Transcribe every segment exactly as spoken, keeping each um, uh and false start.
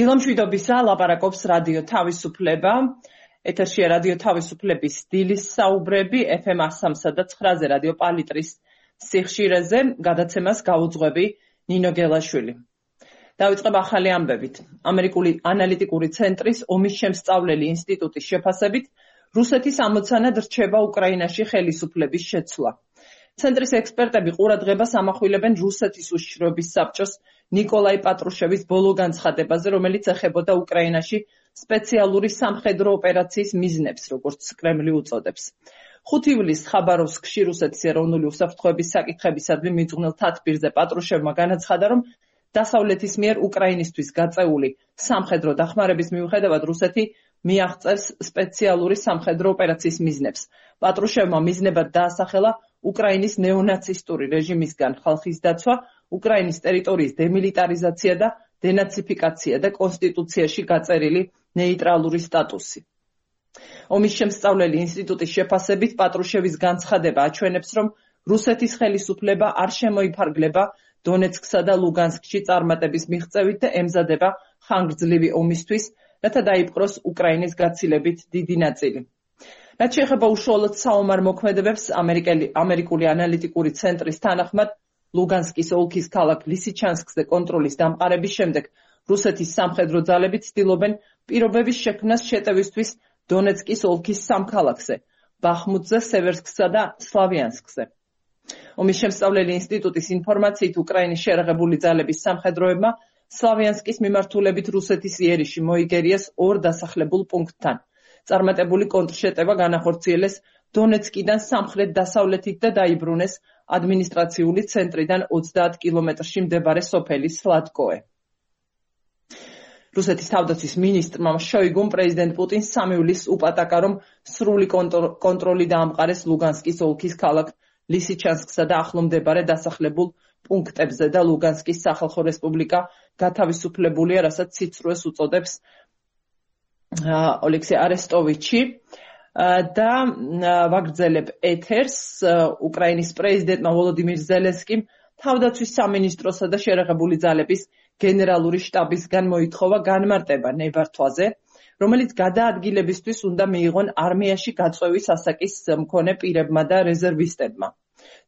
დილამშვიდობისა, ლაპარაკობს რადიო თავისუფლება. ეთერშია რადიო თავისუფლების დილის საუბრები ეფ ემ ასამსა და ცხრაზე რადიო პალიტრის სიხშირეზე. გადაცემას გაუძღვები ნინო გელაშვილი. დავიწყებ ახალი ამბებით. ამერიკული ანალიტიკური ცენტრის ომის შემსწავლელი ინსტიტუტის შეფასებით, რუსეთის ამოცანად რჩება უკრაინაში ხელისუფლების შეცვლა. ცენტრის ექსპერტები ყურადღებას ამახვილებენ რუსეთის უშიშროების საბჭოს ნიკოლაი პატრუშევის ბოლო განცხადებაზე, რომელიც ეხებოდა უკრაინაში სპეციალური სამხედრო ოპერაციის მიზნებს, როგორც კრემლი უწოდებს. ხუთი ივლისს ხაბაროვსკში რუსეთის ეროვნული უსაფრთხოების საკითხებისადმი მიძღვნილ თათბირზე პატრუშევმა განაცხადა, რომ დასავლეთის მიერ უკრაინისთვის გაწეული სამხედრო დახმარების მიუხედავად რუსეთი მიაღწევს სპეციალური სამხედრო ოპერაციის მიზნებს. პატრუშევმა მიზნებად დაასახელა უკრაინის ნეონაცისტური რეჟიმისგან ხალხის დაცვა, უკრაინის ტერიტორიის დემილიტარიზაცია და დენაციფიკაცია და კონსტიტუციაში გაწერილი ნეიტრალური სტატუსი. ომის შემსწავლელი ინსტიტუტის შეფასებით პატრუშევის განცხადება აჩვენებს, რომ რუსეთის ხელისუფლება არ შემოიფარგლება დონეცკსა და ლუგანსკში წარმატების მიღწევით და ემზადება ხანგრძლივი ომისთვის, რათა დაიპყროს უკრაინის გაცილებით დიდი ნაწილი. რაც შეეხება უშუალოდ საომარ მოქმედებებს, ამერიკული ანალიტიკური ცენტრის თანახმად, ლუგანსკის ოლქის ქალაქ ლისიჩანსკზე კონტროლის დამყარების შემდეგ რუსეთის სამხედრო ძალები ცდილობენ პირობების შექმნას შეტევისთვის დონეცკის ოლქის სამ ქალაქზე, ბახმუტზე, სევერსკსა და სლავიანსკზე. ომის შემსწავლელი ინსტიტუტის ინფორმაციით, უკრაინის შერაღებული ძალების სამხედროებმა სლავიანსკის მიმართულებით რუსეთის იერიში მოიგერიეს ორ დასახლებულ პუნქტთან. წარმატებული კონტრშეტევა განახორციელეს დონეცკიდან სამხრეთ-დასავლეთით და დაიბრუნეს ადმინისტრაციული ცენტრიდან ოცდაათ კილომეტრში მდებარე სოფელი სლატკოე. რუსეთის თავდაცვის მინისტრმა შოიგუმ პრეზიდენტ პუტინს სამი ივლისს უპატაკა, რომ სრული კონტროლი დაამყარეს ლუგანსკის ოლქის ქალაქ ლისიჩანსკსა და ახლო მდებარე დასახლებულ პუნქტებზე და ლუგანსკის სახალხო რესპუბლიკა გათავისუფლებულია, რასაც სიცრუეს უწოდებს ოლექსი არესტოვიჩი. და ვაგრძელებ ეთერს. უკრაინის პრეზიდენტმა ვოლოდიმირ ზელენსკიმ თავდაცვის სამინისტროსა და შერაღებული ძალების გენერალური შტაბისგან მოითხოვა განმარტება ნებართვაზე, რომელიც გადაადგილებისთვის უნდა მიიღონ არმიაში გაწვევის ასაკის მქონე პირებმა და რეზერვისტებმა.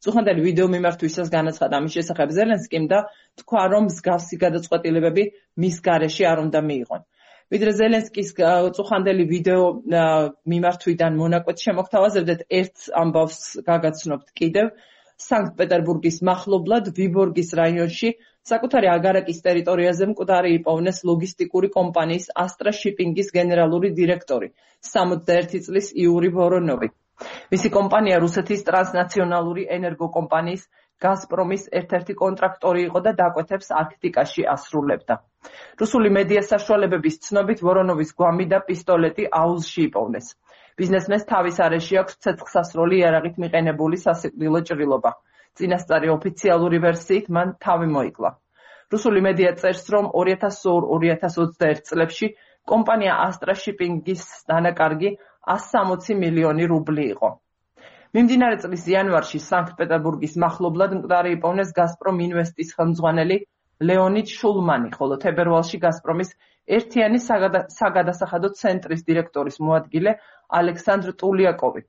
წუხანდელი ვიდეო მიმართვისას განაცხადა ამის შესახებ ზელენსკიმ და თქვა, რომ მსგავსი გადაწყვეტილებები მის გარეშე არ უნდა მიიღონ. ვიდრე ზელენსკის წუხანდელი ვიდეო მიმართვიდან მონაკვეთ შემოგთავაზებდეთ, ერთ ამბავს გაგაცნობთ კიდევ. სანქტ-პეტერბურგის მახლობლად ვიბორგის რაიონში საკუთარი აგარაკის ტერიტორიაზე მკვდარი იპოვნეს ლოგისტიკური კომპანიის ასტრა შიპინგის გენერალური დირექტორი, სამოცდაერთი წლის იური ვორონოვი. მისი კომპანია რუსეთის ტრანსნაციონალური ენერგოკომპანიის გაზპრომის ერთ-ერთი კონტრაქტორი იყო და დაკვეთებს არქტიკაში ასრულებდა. რუსული მედია საშუალებების ცნობით ვორონოვის გვამი და პისტოლეტი აუზში იპოვნეს. ბიზნესმენს თავის არეში აქვს ცეცხლსასროლი იარაღით მიყენებული სასიკვდილო ჭრილობა. წინასწარი ოფიციალური ვერსიით მან თავი მოიკლა. რუსული მედია წერს, რომ ორი ათას ორ ორი ათას ოცდაერთ წლებში კომპანია ასტრა შიპინგის დანაკარგი ასი სამოცი მილიონი რუბლი იყო. მიმდინარე წლის იანვარში სანქტ-პეტერბურგის მახლობლად მკვდარი იპოვნეს გაზპრომ ინვესტის ხელმძღვანელი ლეონიდ შულმანი, ხოლო თებერვალში გაზპრომის ერთიანი საგადასახადო ცენტრის დირექტორის მოადგილე ალექსანდრ ტულიაკოვი.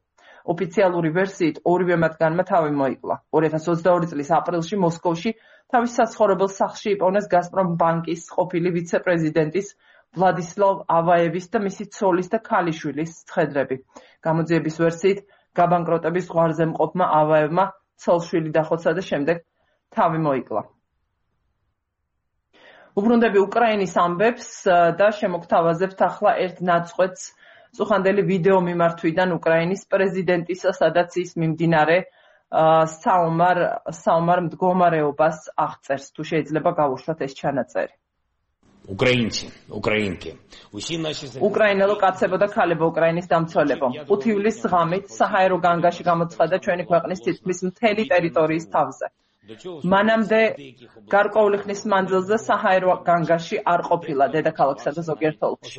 ოფიციალური ვერსიით ორივე მათგანმა თავი მოიკლა. ორი ათას ოცდაორი წლის აპრილში მოსკოვში თავის საცხოვრებელ სახლში იპოვნეს გაზპრომ ბანკის ყოფილი ვიცე-პრეზიდენტის ვლადისლავ ავაევის და მისი ცოლის და ქალიშვილის ცხედრები. გამოძიების ვერსიით გაბანკროტების ზღვარზე მყოფმა ავაევმა ცოლ-შვილი დახოცა და შემდეგ თავი მოიკლა. უბრუნდები უკრაინის ამბებს და შემოგთავაზებთ ახლა ერთ ნაწყვეტს წუხანდელი ვიდეო მიმართვიდან უკრაინის პრეზიდენტისა, სადაც ის მიმდინარე საომარ საომარ მდგომარეობას აღწერს. თუ შეიძლება გავუშვათ ეს ჩანაწერი. Українці, українки, усі наші უკრაინელო კაცებო და ქალებო, უკრაინის დამცველებო. ხუთი ივლისს ღამით საჰაერო განგაში გამოცხადა ჩვენი ქვეყნის თითქმის მთელი ტერიტორიის თავზე. მანამდე გარკვეული ხნის მანძილზე საჰაერო განგაში არ ყოფილა დედაქალაქსა და ზოგიერთ ოლქში.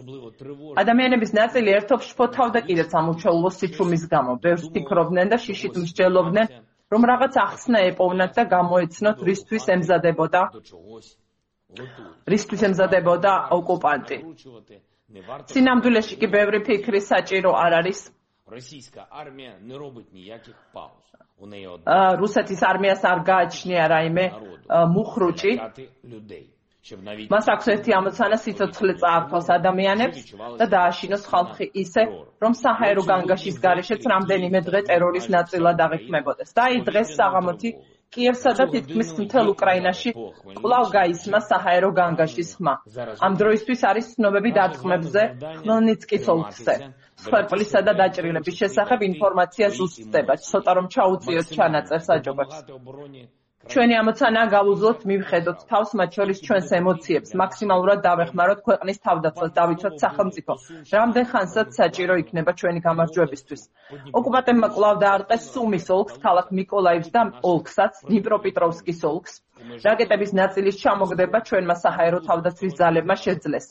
ადამიანების ნაწილი ერთობს შფოთავდა კიდეც ამ უჩვეულო სიჩუმის გამო. ბევრს ფიქრობდნენ და შიშით მსჯელობდნენ, რომ რაღაც ახსნა ეპოვნათ და გამოეცნოთ, რისთვის ემზადებოდა რისთვის ემზადებოდა ოკუპანტი. სინამდვილეში კი ბევრი ფიქრი საჭირო არ არის. რუსეთის არმიას არ გააჩნია რაიმე მუხრუჭი. მას აქვს ერთი ამოცანა სიცოცხლე წაართვას ადამიანებს და დააშინოს ხალხი ისე, რომ საჰაერო განგაშის გარეშეც რამდენიმე დღე ტერორის ნაწილად აღიქმებოდეს. და აი დღეს საღამოთი კიევსა და თითქმის მთელ უკრაინაში კვლავ გაისმა საჰაერო განგაშის ხმა. ამ დროისთვის არის ცნობები დარტყმებზე ხმელნიცკის ოლქზე. მსხვერპლისა და დაჭრილების შესახებ ინფორმაცია ზუსტდება, ცოტა რომ ჩაუწიოთ ჩანაწერ საჯობებს. ჩვენი ამოცანაა გავუძლოთ, მივხედოთ თავს, მათ შორის ჩვენს ემოციებს, მაქსიმალურად დავეხმაროთ ქვეყნის თავდაცვას, დავიცვათ სახელმწიფო. რამდენ ხანსაც საჭირო იქნება ჩვენი გამარჯვებისთვის. ოკუპანტებმა კვლავ დაარტყეს სუმის ოლქს, ქალაქ მიკოლაივს და ოლქსაც, დნიპროპეტროვსკის ოლქს. რაკეტების ნაწილის ჩამოგდება ჩვენმა საჰაერო თავდაცვის ძალებმა შეძლეს.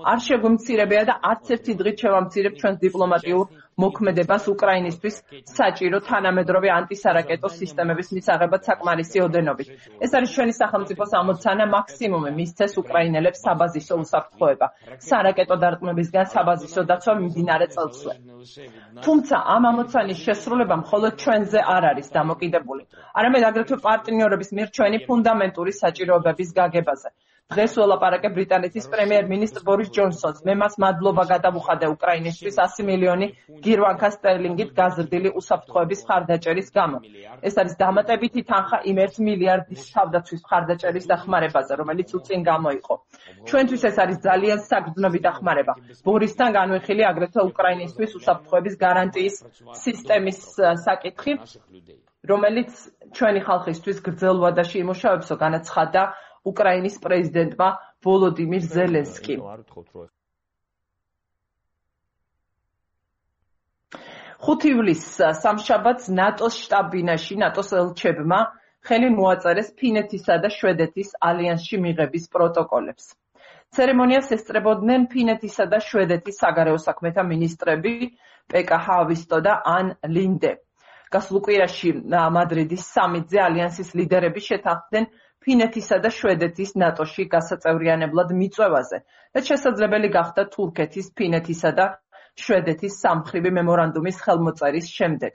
არ შეგვიმცირებია და არც ერთი დღით შევამცირებ ჩვენს დიპლომატიურ მოქმედებას უკრაინისთვის საჭირო თანამედროვე ანტისარაკეტო სისტემების მისაღებად საკმარისი ოდენობით. ეს არის ჩვენი სახელმწიფოს ამოცანა მაქსიმუმი მისცეს უკრაინელებს საბაზისო უსაფრთხოება. სარაკეტო დარტყმებისგან საბაზისო დაცვა მიმდინარე წელსვე. თუმცა ამ ამოცანის შესრულება მხოლოდ ჩვენზე არ არის დამოკიდებული. არამედ აგრეთვე პარტნიორების მიერ ჩვენი ფუნდამენტური საჭიროებების გაგებაზე. დღეს ველაპარაკე ბრიტანეთის პრემიერ-მინისტრ ბორის ჯონსონს. მე მას მადლობა გადავუხადე უკრაინისთვის ასი მილიონი გირვანკა სტერლინგით გაზრდილი უსაფრთხოების მხარდაჭერის გამო. ეს არის დამატებითი თანხა იმ ერთ მილიარდის თავდაცვის მხარდაჭერის დახმარებაზე, რომელიც უწინ გამოიყო. ჩვენთვის ეს არის ძალიან საგრძნობი დახმარება. ბორისთან განვიხილი აგრეთვე უკრაინისთვის უსაფრთხოების გარანტიის სისტემის საკითხი, რომელიც ჩვენი ხალხისთვის გრძელ ვადაში იმუშავებსო, განაცხადა უკრაინის პრეზიდენტმა ვოლოდიმირ ზელენსკიმ. ხუთი ივლისს სამშაბათს ნატოს შტაბ-ბინაში ნატოს ელჩებმა ხელი მოაწერეს ფინეთისა და შვედეთის ალიანსში მიღების პროტოკოლებს. ცერემონიას ესწრებოდნენ ფინეთისა და შვედეთის საგარეო საქმეთა მინისტრები პეკა ჰავისტო და ან ლინდე. გასულ კვირაში მადრიდის სამიტზე ალიანსის ლიდერები შეთანხმდნენ ფინეთისა და შვედეთის ნატოში გასაწევრიანებლად მიწვევაზე და შესაძლებელი გახდა თურქეთის, ფინეთისა და შვედეთის სამმხრივი მემორანდუმის ხელმოწერის შემდეგ.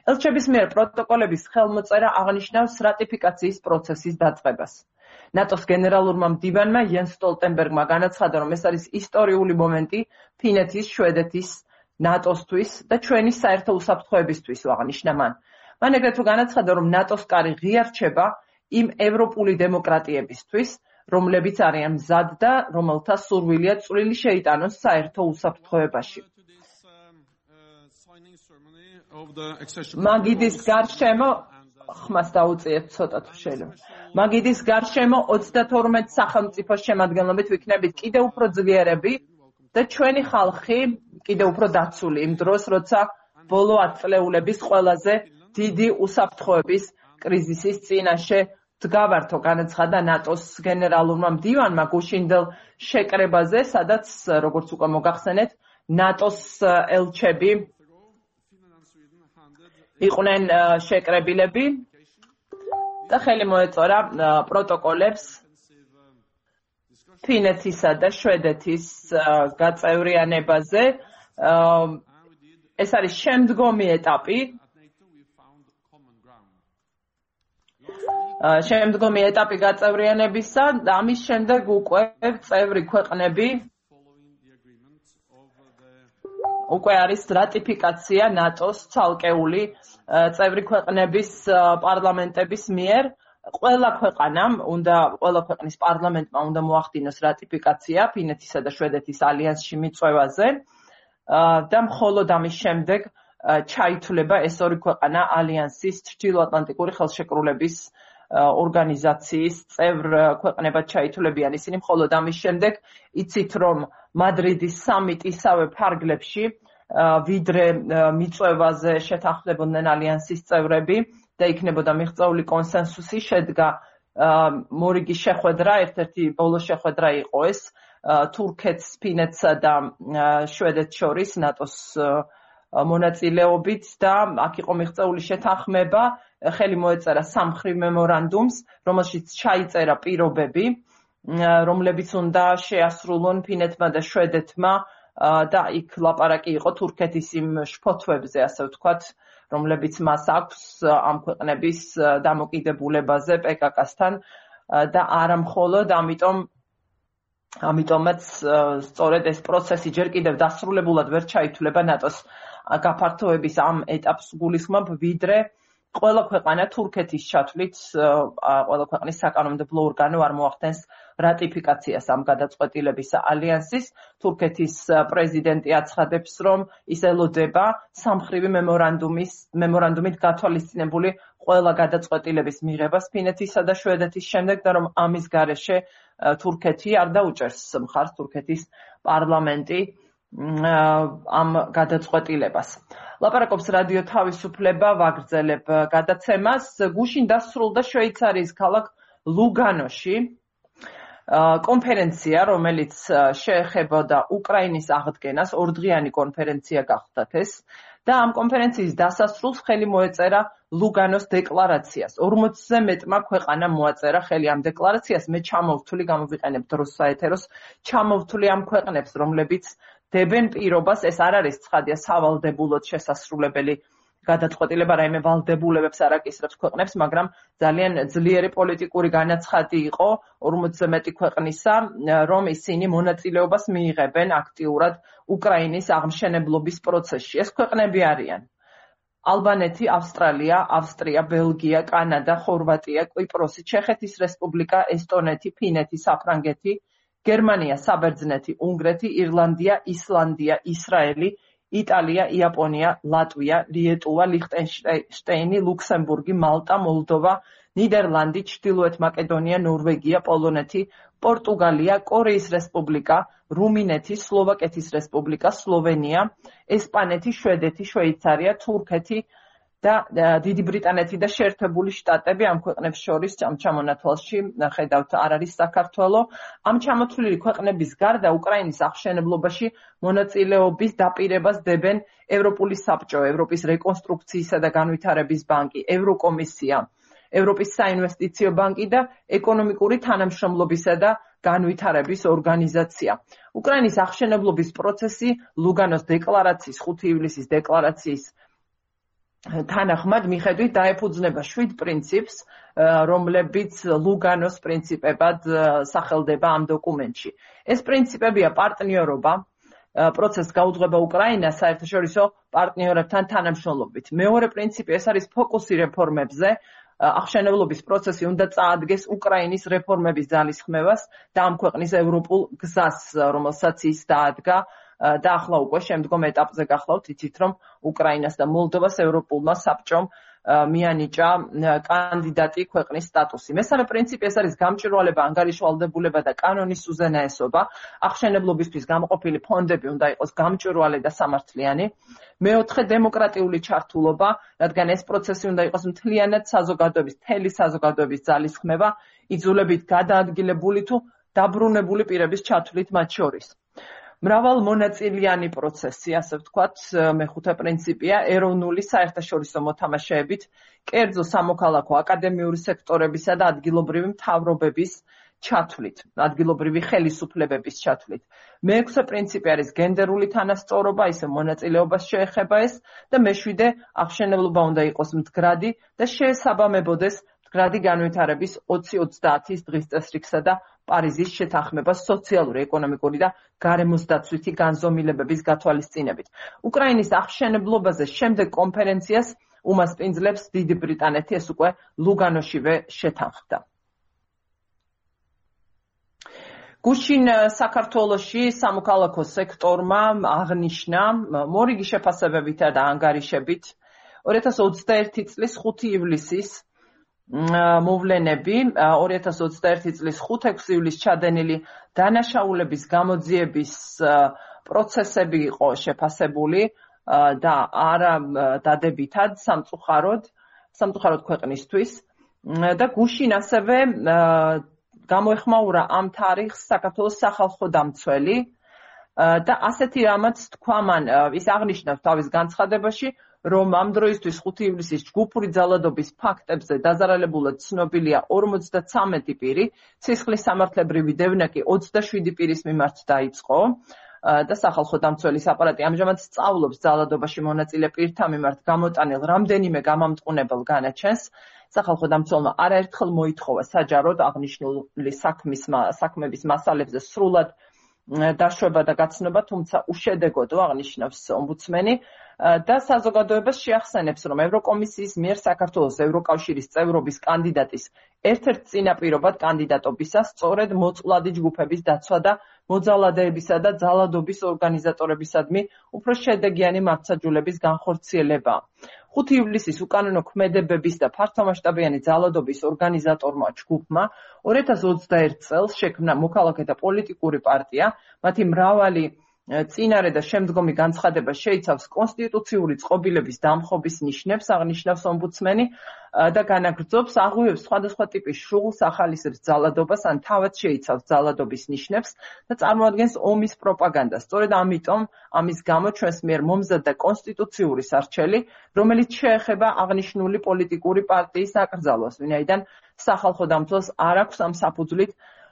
ელჩების მიერ პროტოკოლების ხელმოწერა აღნიშნავს რატიფიკაციის პროცესის დაწყებას. ნატოს გენერალურმა მდივანმა იენს სტოლტენბერგმა განაცხადა, რომ ეს არის ისტორიული მომენტი ფინეთის, შვედეთის, ნატოსთვის და ჩვენი საერთო უსაფრთხოებისთვის, აღნიშნა მან. მან ეგრეთვე განაცხადა, რომ ნატოს კარი ღია რჩება იმ ევროპული დემოკრატიებისთვის, რომლებიც არიან მზად და რომელთა სურვილია წვლილი შეიტანოს საერთო უსაფრთხოებაში. მაგიდის გარშემო ხმას დაუწიეთ ცოტა თუ შეიძლება. მაგიდის გარშემო ოცდათორმეტ სახელმწიფოს შემადგენლობით ვიქნებით კიდევ უფრო ძლიერები და ჩვენი ხალხი კიდევ უფრო დაცული იმ დროს, როცა ბოლო ათწლეულების ყველაზე დიდი უსაფრთხოების კრიზისის წინაშე დგავართო, განაცხადა ნატოს გენერალურმა მდივანმა გუშინდელ შეკრებაზე, სადაც, როგორც უკვე მოგახსენეთ, ნატოს ელჩები იყვნენ შეკრებილები და ხელი მოეწოდა პროტოკოლებს ფინეთისა და შვედეთის გაწევრიანებაზე. ეს არის შემდგომი ეტაპი. შემდგომი ეტაპი გაწევრიანებისა და ამის შემდეგ უკვე წევრი ქვეყნები უკვე არის რატიფიკაცია ნატოს ცალკეული წევრი ქვეყნების პარლამენტების მიერ. ყველა ქვეყანამ უნდა ყველა ქვეყნის პარლამენტმა უნდა მოახდინოს რატიფიკაცია ფინეთისა და შვედეთის ალიანსში მიწვევაზე და მხოლოდ ამის შემდეგ ჩაითვლება ეს ორი ქვეყანა ალიანსის ჩრდილოატლანტიკური ხელშეკრულების ორგანიზაციის წევრ ქვეყნებად ჩაითვლებიან. ისინი მხოლოდ ამის შემდეგ იცით, რომ მადრიდის სამიტ ისავე ფარგლებში ვიდრე მიწვევაზე შეთანხმდებოდნენ ალიანსის წევრები და იქნებოდა მიღწეული კონსენსუსი, შედგა მორიგი შეხვედრა, ერთ-ერთი ბოლო შეხვედრა იყო ეს თურქეთს, ფინეთსა და შვედეთს შორის ნატოს მონაწილეობით და აქ იყო მიღწეული შეთანხმება, ხელი მოეწერა სამმხრივ მემორანდუმს, რომელშიც ჩაიწერა პირობები რომლებიც უნდა შეასრულონ ფინეთმა და შვედეთმა და იქ ლაპარაკი იყო თურქეთის იმ შფოთვებზე, ასე ვთქვათ, რომლებიც მას აქვს ამ ქვეყნების დამოკიდებულებაზე პე კა კასთან და არა მხოლოდ ამიტომ ამიტომაც სწორედ ეს პროცესი ჯერ კიდევ დასრულებულად ვერ ჩაითვლება ნატოს გაფართოების ამ ეტაპს გულისხმობ, ვიდრე ყველა ქვეყანა თურქეთის ჩათვლით ყველა ქვეყნის საკანონმდებლო ორგანო არ მოახდენს რატიფიკაციას ამ გადაწყვეტილების ალიანსის. თურქეთის პრეზიდენტი აცხადებს, რომ ის ელოდება სამმხრივი მემორანდუმის მემორანდუმით გათვალისწინებული ყველა გადაწყვეტილების მიღებას ფინეთისა და შვედეთის შემდეგ და რომ ამის გარეშე თურქეთი არ დაუჭერს მხარს თურქეთის პარლამენტი ამ გადაწყვეტილებას. ლაპარაკობს რადიო თავისუფლება, ვაგრძელებ გადაცემას. გუშინ დასრულდა შვეიცარიის ქალაქ ლუგანოში კონფერენცია, რომელიც შეეხებოდა უკრაინის აღდგენას, ორდღიანი კონფერენცია გახდათ ეს და ამ კონფერენციის დასასრულს ხელი მოეწერა ლუგანოს დეკლარაციას. ორმოცზე მეტმა ქვეყანამ მოაწერა ხელი ამ დეკლარაციას. მე ჩამოვთვლი, გამოვიყენებ დროს საეთეროს, ჩამოვთვლი ამ ქვეყნებს, რომლებიც დებენ პირობას, ეს არ არის ცხადია სავალდებულოდ შესასრულებელი გადაწყვეტილება, რაიმე ვალდებულებებს არ აკისრებს ქვეყნებს, მაგრამ ძალიან ძლიერი პოლიტიკური განაცხადი იყო ორმოცზე მეტი ქვეყნისა, რომ ისინი მონაწილეობას მიიღებენ აქტიურად უკრაინის აღმშენებლობის პროცესში. ეს ქვეყნები არიან ალბანეთი, ავსტრალია, ავსტრია, ბელგია, კანადა, ხორვატია, კვიპროსი, ჩეხეთის რესპუბლიკა, ესტონეთი, ფინეთი, საფრანგეთი, გერმანია, საბერძნეთი, უნგრეთი, ირლანდია, ისლანდია, ისრაელი, იტალია, იაპონია, ლატვია, ლიეტუვა, ლიხტენშტეინი, ლუქსემბურგი, მალტა, მოლდოვა, ნიდერლანდი, ჩრდილოეთ მაკედონია, ნორვეგია, პოლონეთი, პორტუგალია, კორეის რესპუბლიკა, რუმინეთი, სლოვაკეთის რესპუბლიკა, სლოვენია, ესპანეთი, შვედეთი, შვეიცარია, თურქეთი და დიდი ბრიტანეთი და შეერთებული შტატები ამ ქვეყნებს შორის ამ ჩამონათვალში ხედავთ არ არის საქართველო. ამ ჩამოთვლილი ქვეყნების გარდა უკრაინის აღშენებლობაში მონაწილეობის დაპირებას დებენ ევროპული საბჭო, ევროპის რეკონსტრუქციისა და განვითარების ბანკი, ევროკომისია, ევროპის საინვესტიციო ბანკი და ეკონომიკური თანამშრომლობისა და განვითარების ორგანიზაცია. უკრაინის აღშენებლობის პროცესი ლუგანოს დეკლარაციის, ხუთი ივლისის დეკლარაციის თანახმად მიხედვით დაეფუძნება შვიდ პრინციპს, რომლებიც ლუგანოს პრინციპებად სახელდება ამ დოკუმენტში. ეს პრინციპებია პარტნიორობა, პროცესს გაუძღვება უკრაინა საერთაშორისო პარტნიორებთან თანამშრომლობით. მეორე პრინციპი ეს არის ფოკუსი რეფორმებზე, აღშენებლობის პროცესი უნდა წაადგეს უკრაინის რეფორმების ძალისხმევას და ამ ქვეყნის ევროპულ გზას, რომელსაც ის დაადგა და ახლა უკვე შემდგომ ეტაპზე გახლავთ, იცით რომ უკრაინას და მოლდოვას ევროპულმა საბჭომ მიანიჭა კანდიდატი ქვეყნის სტატუსი. მესამე პრინციპი ეს არის გამჭვირვალება, ანგარიშვალდებულება და კანონის უზენაესობა. აღშენებლობისთვის გამოყოფილი ფონდები უნდა იყოს გამჭვირვალე და სამართლიანი. მეოთხე დემოკრატიული ჩართულობა, რადგან ეს პროცესი უნდა იყოს მთლიანად საზოგადოების, მთელი საზოგადოების ძალისხმევა, იძულებით გადაადგილებული თუ დაბრუნებული პირების ჩათვლით მათ შორის. მრავალ მონაწილიანი პროცესი, ასე ვთქვათ, მეხუთე პრინციპია, ეროვნული საერთაშორისო მოთამაშეებით, კერძო სამოქალაქო აკადემიური სექტორებისა და ადგილობრივი მთავრობების ჩათვლით, ადგილობრივი ხელისუფლებების ჩათვლით. მეექვსე პრინციპი არის გენდერული თანასწორობა, ისე მონაწილეობას შეეხება ეს და მეშვიდე აღშენებლობა უნდა იყოს მდგრადი და შეესაბამებოდეს მდგრადი განვითარების ოცი ოცდაათის დღის წესრიგსა და პარიზის შეთანხმებას სოციალური, ეკონომიკური და გარემოსდაცვითი განზომილებების გათვალისწინებით. უკრაინის აღშენებლობაზე შემდეგ კონფერენციას უმასპინძლებს დიდი ბრიტანეთი, ეს უკვე ლუგანოშივე შეთანხმდა. გუშინ საქართველოში სამოქალაქო სექტორმა აღნიშნა მორიგი შეფასებებითა და ანგარიშებით ორი ათას ოცდაერთი წლის ხუთი ივლისის მოვლენები, ორი ათას ოცდაერთი წლის ხუთი-ექვსი ივლისს ჩადენილი დანაშაულების გამოძიების პროცესები იყო შეფასებული და არა დადებითად სამწუხაროდ, სამწუხაროდ ქვეყნისთვის და გუშინ ასევე გამოეხმაურა ამ თარიღს საქართველოს სახალხო დამცველი და ასეთი რამაც თქვა მან, ის აღნიშნავს თავის განცხადებაში, რომ ამ დროისთვის ხუთი ივლისის ჯგუფური ძალადობის ფაქტებზე დაზარალებულად ცნობილია ორმოცდათვრამეტი პირი, სისხლის სამართლებრივი დევნა კი ოცდაშვიდი პირის მიმართ დაიწყო და სახალხო დამცველის აპარატი ამჟამად სწავლობს ძალადობაში მონაწილე პირთა მიმართ გამოტანილ რამდენიმე გამამტყუნებელ განაჩენს. სახალხო დამცველმა არაერთხელ მოითხოვა საჯაროდ აღნიშნული საქმის საქმების მასალებზე სრულად დაშვება და გაცნობა, თუმცა უშედეგოდ აღნიშნავს ომბუდსმენი და საზოგადოებას შეახსენებს, რომ ევროკომისიის მიერ საქართველოს ევროკავშირის წევრობის კანდიდატის ერთ-ერთ წინაპირობად კანდიდატობისას სწორედ მოწყვლადი ჯგუფების დაცვა და მოძალადეებისა და ძალადობის ორგანიზატორებისადმი უფრო შედეგიანი მართლმსაჯულების განხორციელება. ხუთი ივლისის უკანონო ქმედებების და ფართომასშტაბიანი ძალადობის ორგანიზატორმა ჯგუფმა ორი ათას ოცდაერთ წელს შექმნა მოქალაქეთა პოლიტიკური პარტია, მათი მრავალი წინარე და შემდგომი განცხადება შეიცავს კონსტიტუციური წყობილების დამხობის ნიშნებს, აღნიშნავს ომბუდსმენი და განაგრძობს, აღვივებს სხვადასხვა ტიპის შუღლს, ახალისებს ძალადობას ან თავად შეიცავს ძალადობის ნიშნებს და წარმოადგენს ომის პროპაგანდას. სწორედ ამიტომ ამის გამო ჩვენს მიერ მომზადდა კონსტიტუციური სარჩელი, რომელიც შეეხება აღნიშნული პოლიტიკური პარტიის აკრძალვას, ვინაიდან სახალხო დამცველს არ აქვს ამ საფუძვლით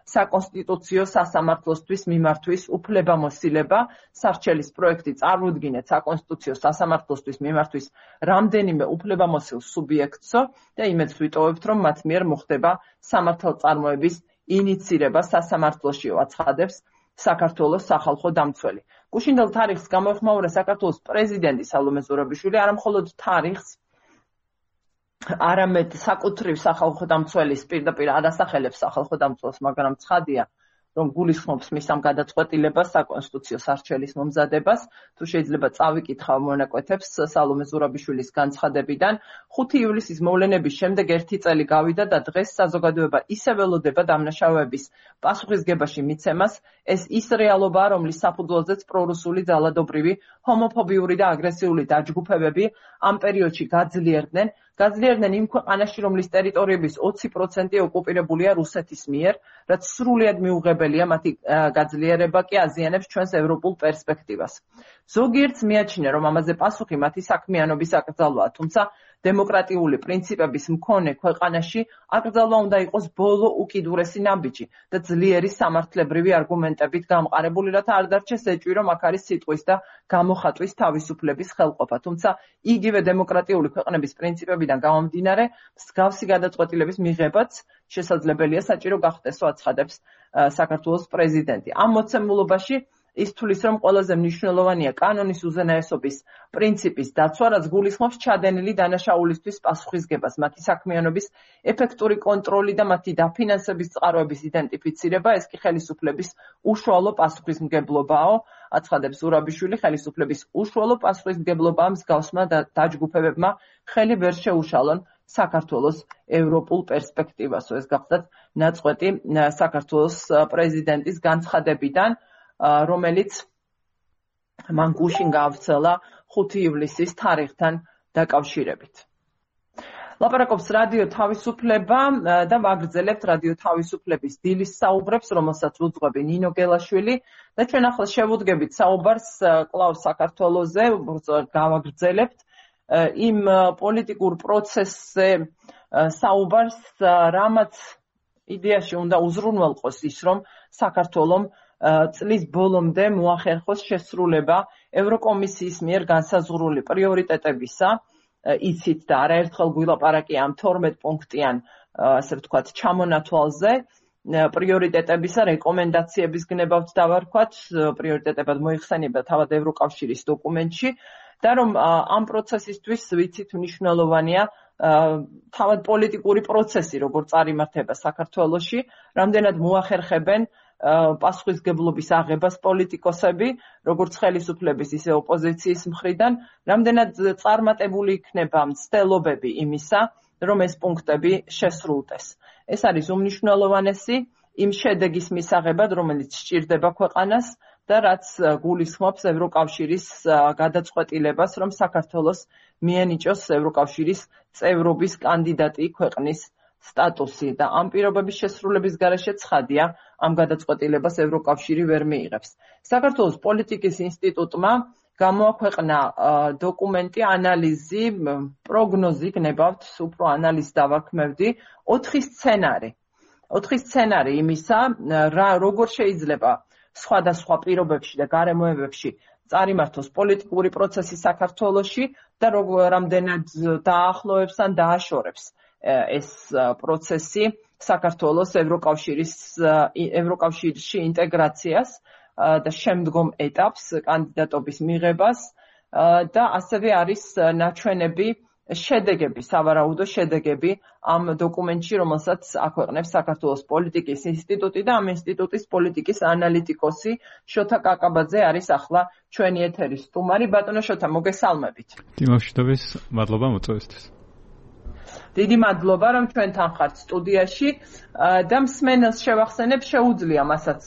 საკონსტიტუციო სასამართლოსთვის მიმართვის უფლებამოსილება. სარჩელის პროექტი წარმოუდგინეთ საკონსტიტუციო სასამართლოსთვის მიმართვის რამდენიმე უფლებამოსილ სუბიექტსო და იმედს ვიტოვებთ, რომ მათ მიერ მოხდება სამართალწარმოების ინიცირება სასამართლოშიო, აცხადებს საქართველოს სახალხო დამცველი. გუშინდელ თარიღს გამოეხმაურა საქართველოს პრეზიდენტი სალომე ზურაბიშვილი, არა მხოლოდ თარიღს, არამედ საკუთრივ სახალხო დამცველის პირდაპირ არასახელებს სახალხო დამცველს, მაგრამ ცხადია, რომ გულისხმობს მის ამ გადაწყვეტილებას საკონსტიტუციო სარჩელის მომზადებას. თუ შეიძლება წავიკითხავ მონაკვეთებს სალომე ზურაბიშვილის განცხადებიდან, ხუთი ივლისის მოვლენების შემდეგ ერთი წელი გავიდა და დღეს საზოგადოება ისე ველოდება დამნაშავეების პასუხისგებაში მიცემას. ეს ის რეალობაა, რომლის საფუძველზეც პრორუსული ძალადობრივი, ჰომოფობიური და აგრესიული დაჯგუფებები ამ პერიოდში გაძლიერდნენ. გაძლიერდნენ იმ ქვეყანაში, რომლის ტერიტორიების ოცი პროცენტი ოკუპირებულია რუსეთის მიერ, რაც სრულიად მიუღებელია, მათი გაძლიერება კი აზიანებს ჩვენს ევროპულ პერსპექტივას. ზოგიერთს მიაჩნია, რომ ამაზე პასუხი მათი საქმიანობის აკრძალვაა, თუმცა დემოკრატიული პრინციპების მქონე ქვეყანაში აკრძალვა უნდა იყოს ბოლო უკიდურესი ნაბიჯი და ძლიერი სამართლებრივი არგუმენტებით გამყარებული, რათა არ დარჩეს ეჭვი, რომ აქ არის სიტყვის და გამოხატვის თავისუფლების ხელყოფა. თუმცა იგივე დემოკრატიული ქვეყნების პრინციპებიდან გამომდინარე, მსგავსი გადაწყვეტილების მიღებაც შესაძლებელია საჭირო გახდესო, აცხადებს საქართველოს პრეზიდენტი. ამ მოცემულობაში ის თulis, რომ ყველაზე მნიშვნელოვანია კანონის უზენაესობის პრინციპის დაცვა, რაც გულისხმობს ჩადენილი დანაშაულისთვის პასუხისგებას, მათი საქმიანობის ეფექტური კონტროლი და მათი დაფინანსების წყაროების იდენტიფიცირება, ეს კი ხელისუფლების უშუალო პასუხისმგებლობაო, აცხადებს ზურაბიშვილი. ხელისუფლების უშუალო პასუხისმგებლობაა მსგავსმა დაჯგუფებებმა ხელი ვერ შეუშალონ საქართველოს ევროპულ პერსპექტივასო. ეს გახლდათ ნაწყვეტი საქართველოს პრეზიდენტის განცხადებიდან, რომელიც მან გუშინ გაავრცელა ხუთი ივლისის თარიღთან დაკავშირებით. ლაპარაკობს რადიო თავისუფლება და ვაგრძელებთ რადიო თავისუფლების დილის საუბრებს, რომელსაც უძღვები ნინო გელაშვილი და ჩვენ ახლა შევუდგებით საუბარს კვლავ საქართველოზე, გავაგრძელებთ იმ პოლიტიკურ პროცესზე საუბარს, რამაც იდეაში უნდა უზრუნველყოს ის, რომ საქართველომ წლის ბოლომდე მოახერხოს შესრულება ევროკომისიის მიერ განსაზღვრული პრიორიტეტებისა. იცით და არაერთხელ გვილაპარაკია ამ თორმეტ პუნქტიან, ასე ვთქვათ, ჩამონათვალზე, პრიორიტეტებისა რეკომენდაციების გნებავთ დავარქვათ, პრიორიტეტებად მოიხსენიება თავად ევროკავშირის დოკუმენტში და რომ ამ პროცესისთვის ვიცით მნიშვნელოვანია თავად პოლიტიკური პროცესი, როგორ წარიმართება საქართველოში, რამდენად მოახერხებენ პასუხისგებლობის აღებას პოლიტიკოსები, როგორც ხელისუფლების, ისე ოპოზიციის მხრიდან, რამდენად წარმატებული იქნება მცდელობები იმისა, რომ ეს პუნქტები შესრულდეს. ეს არის უმნიშვნელოვანესი იმ შედეგის მისაღებად, რომელიც სჭირდება ქვეყანას და რაც გულისხმობს ევროკავშირის გადაწყვეტილებას, რომ საქართველოს მიენიჭოს ევროკავშირის წევრობის კანდიდატი ქვეყნის სტატუსი და ამ პირობების შესრულების გარეშე ცხადია, ამ გადაწყვეტილებას ევროკავშირი ვერ მიიღებს. საქართველოს პოლიტიკის ინსტიტუტმა გამოაქვეყნა დოკუმენტი, ანალიზი, პროგნოზი, გნებავთ, უფრო ანალიზს დავაქმევდი, ოთხი სცენარი. ოთხი სცენარი იმისა, რა როგორ შეიძლება სხვადასხვა პირობებში და გარემოებებში წარიმართოს პოლიტიკური პროცესი საქართველოში და რამდენად დაახლოებს ან დააშორებს ეს პროცესი საქართველოს ევროკავშირის ევროკავშირში ინტეგრაციას და შემდგომ ეტაპს კანდიდატობის მიღებას და ასევე არის ნაჩვენები შედეგები, სავარაუდო შედეგები ამ დოკუმენტში, რომელსაც აქვეყნებს საქართველოს პოლიტიკის ინსტიტუტი და ამ ინსტიტუტის პოლიტიკის ანალიტიკოსი შოთა კაკაბაძე არის ახლა ჩვენი ეთერის სტუმარი. ბატონო შოთა, მოგესალმებით. დიმოშიდოვის მადლობა მოწვევისთვის. დიდი მადლობა, რომ ჩვენთან ხართ სტუდიაში და მსმენელს შევახსენებ, შეუძლია მასაც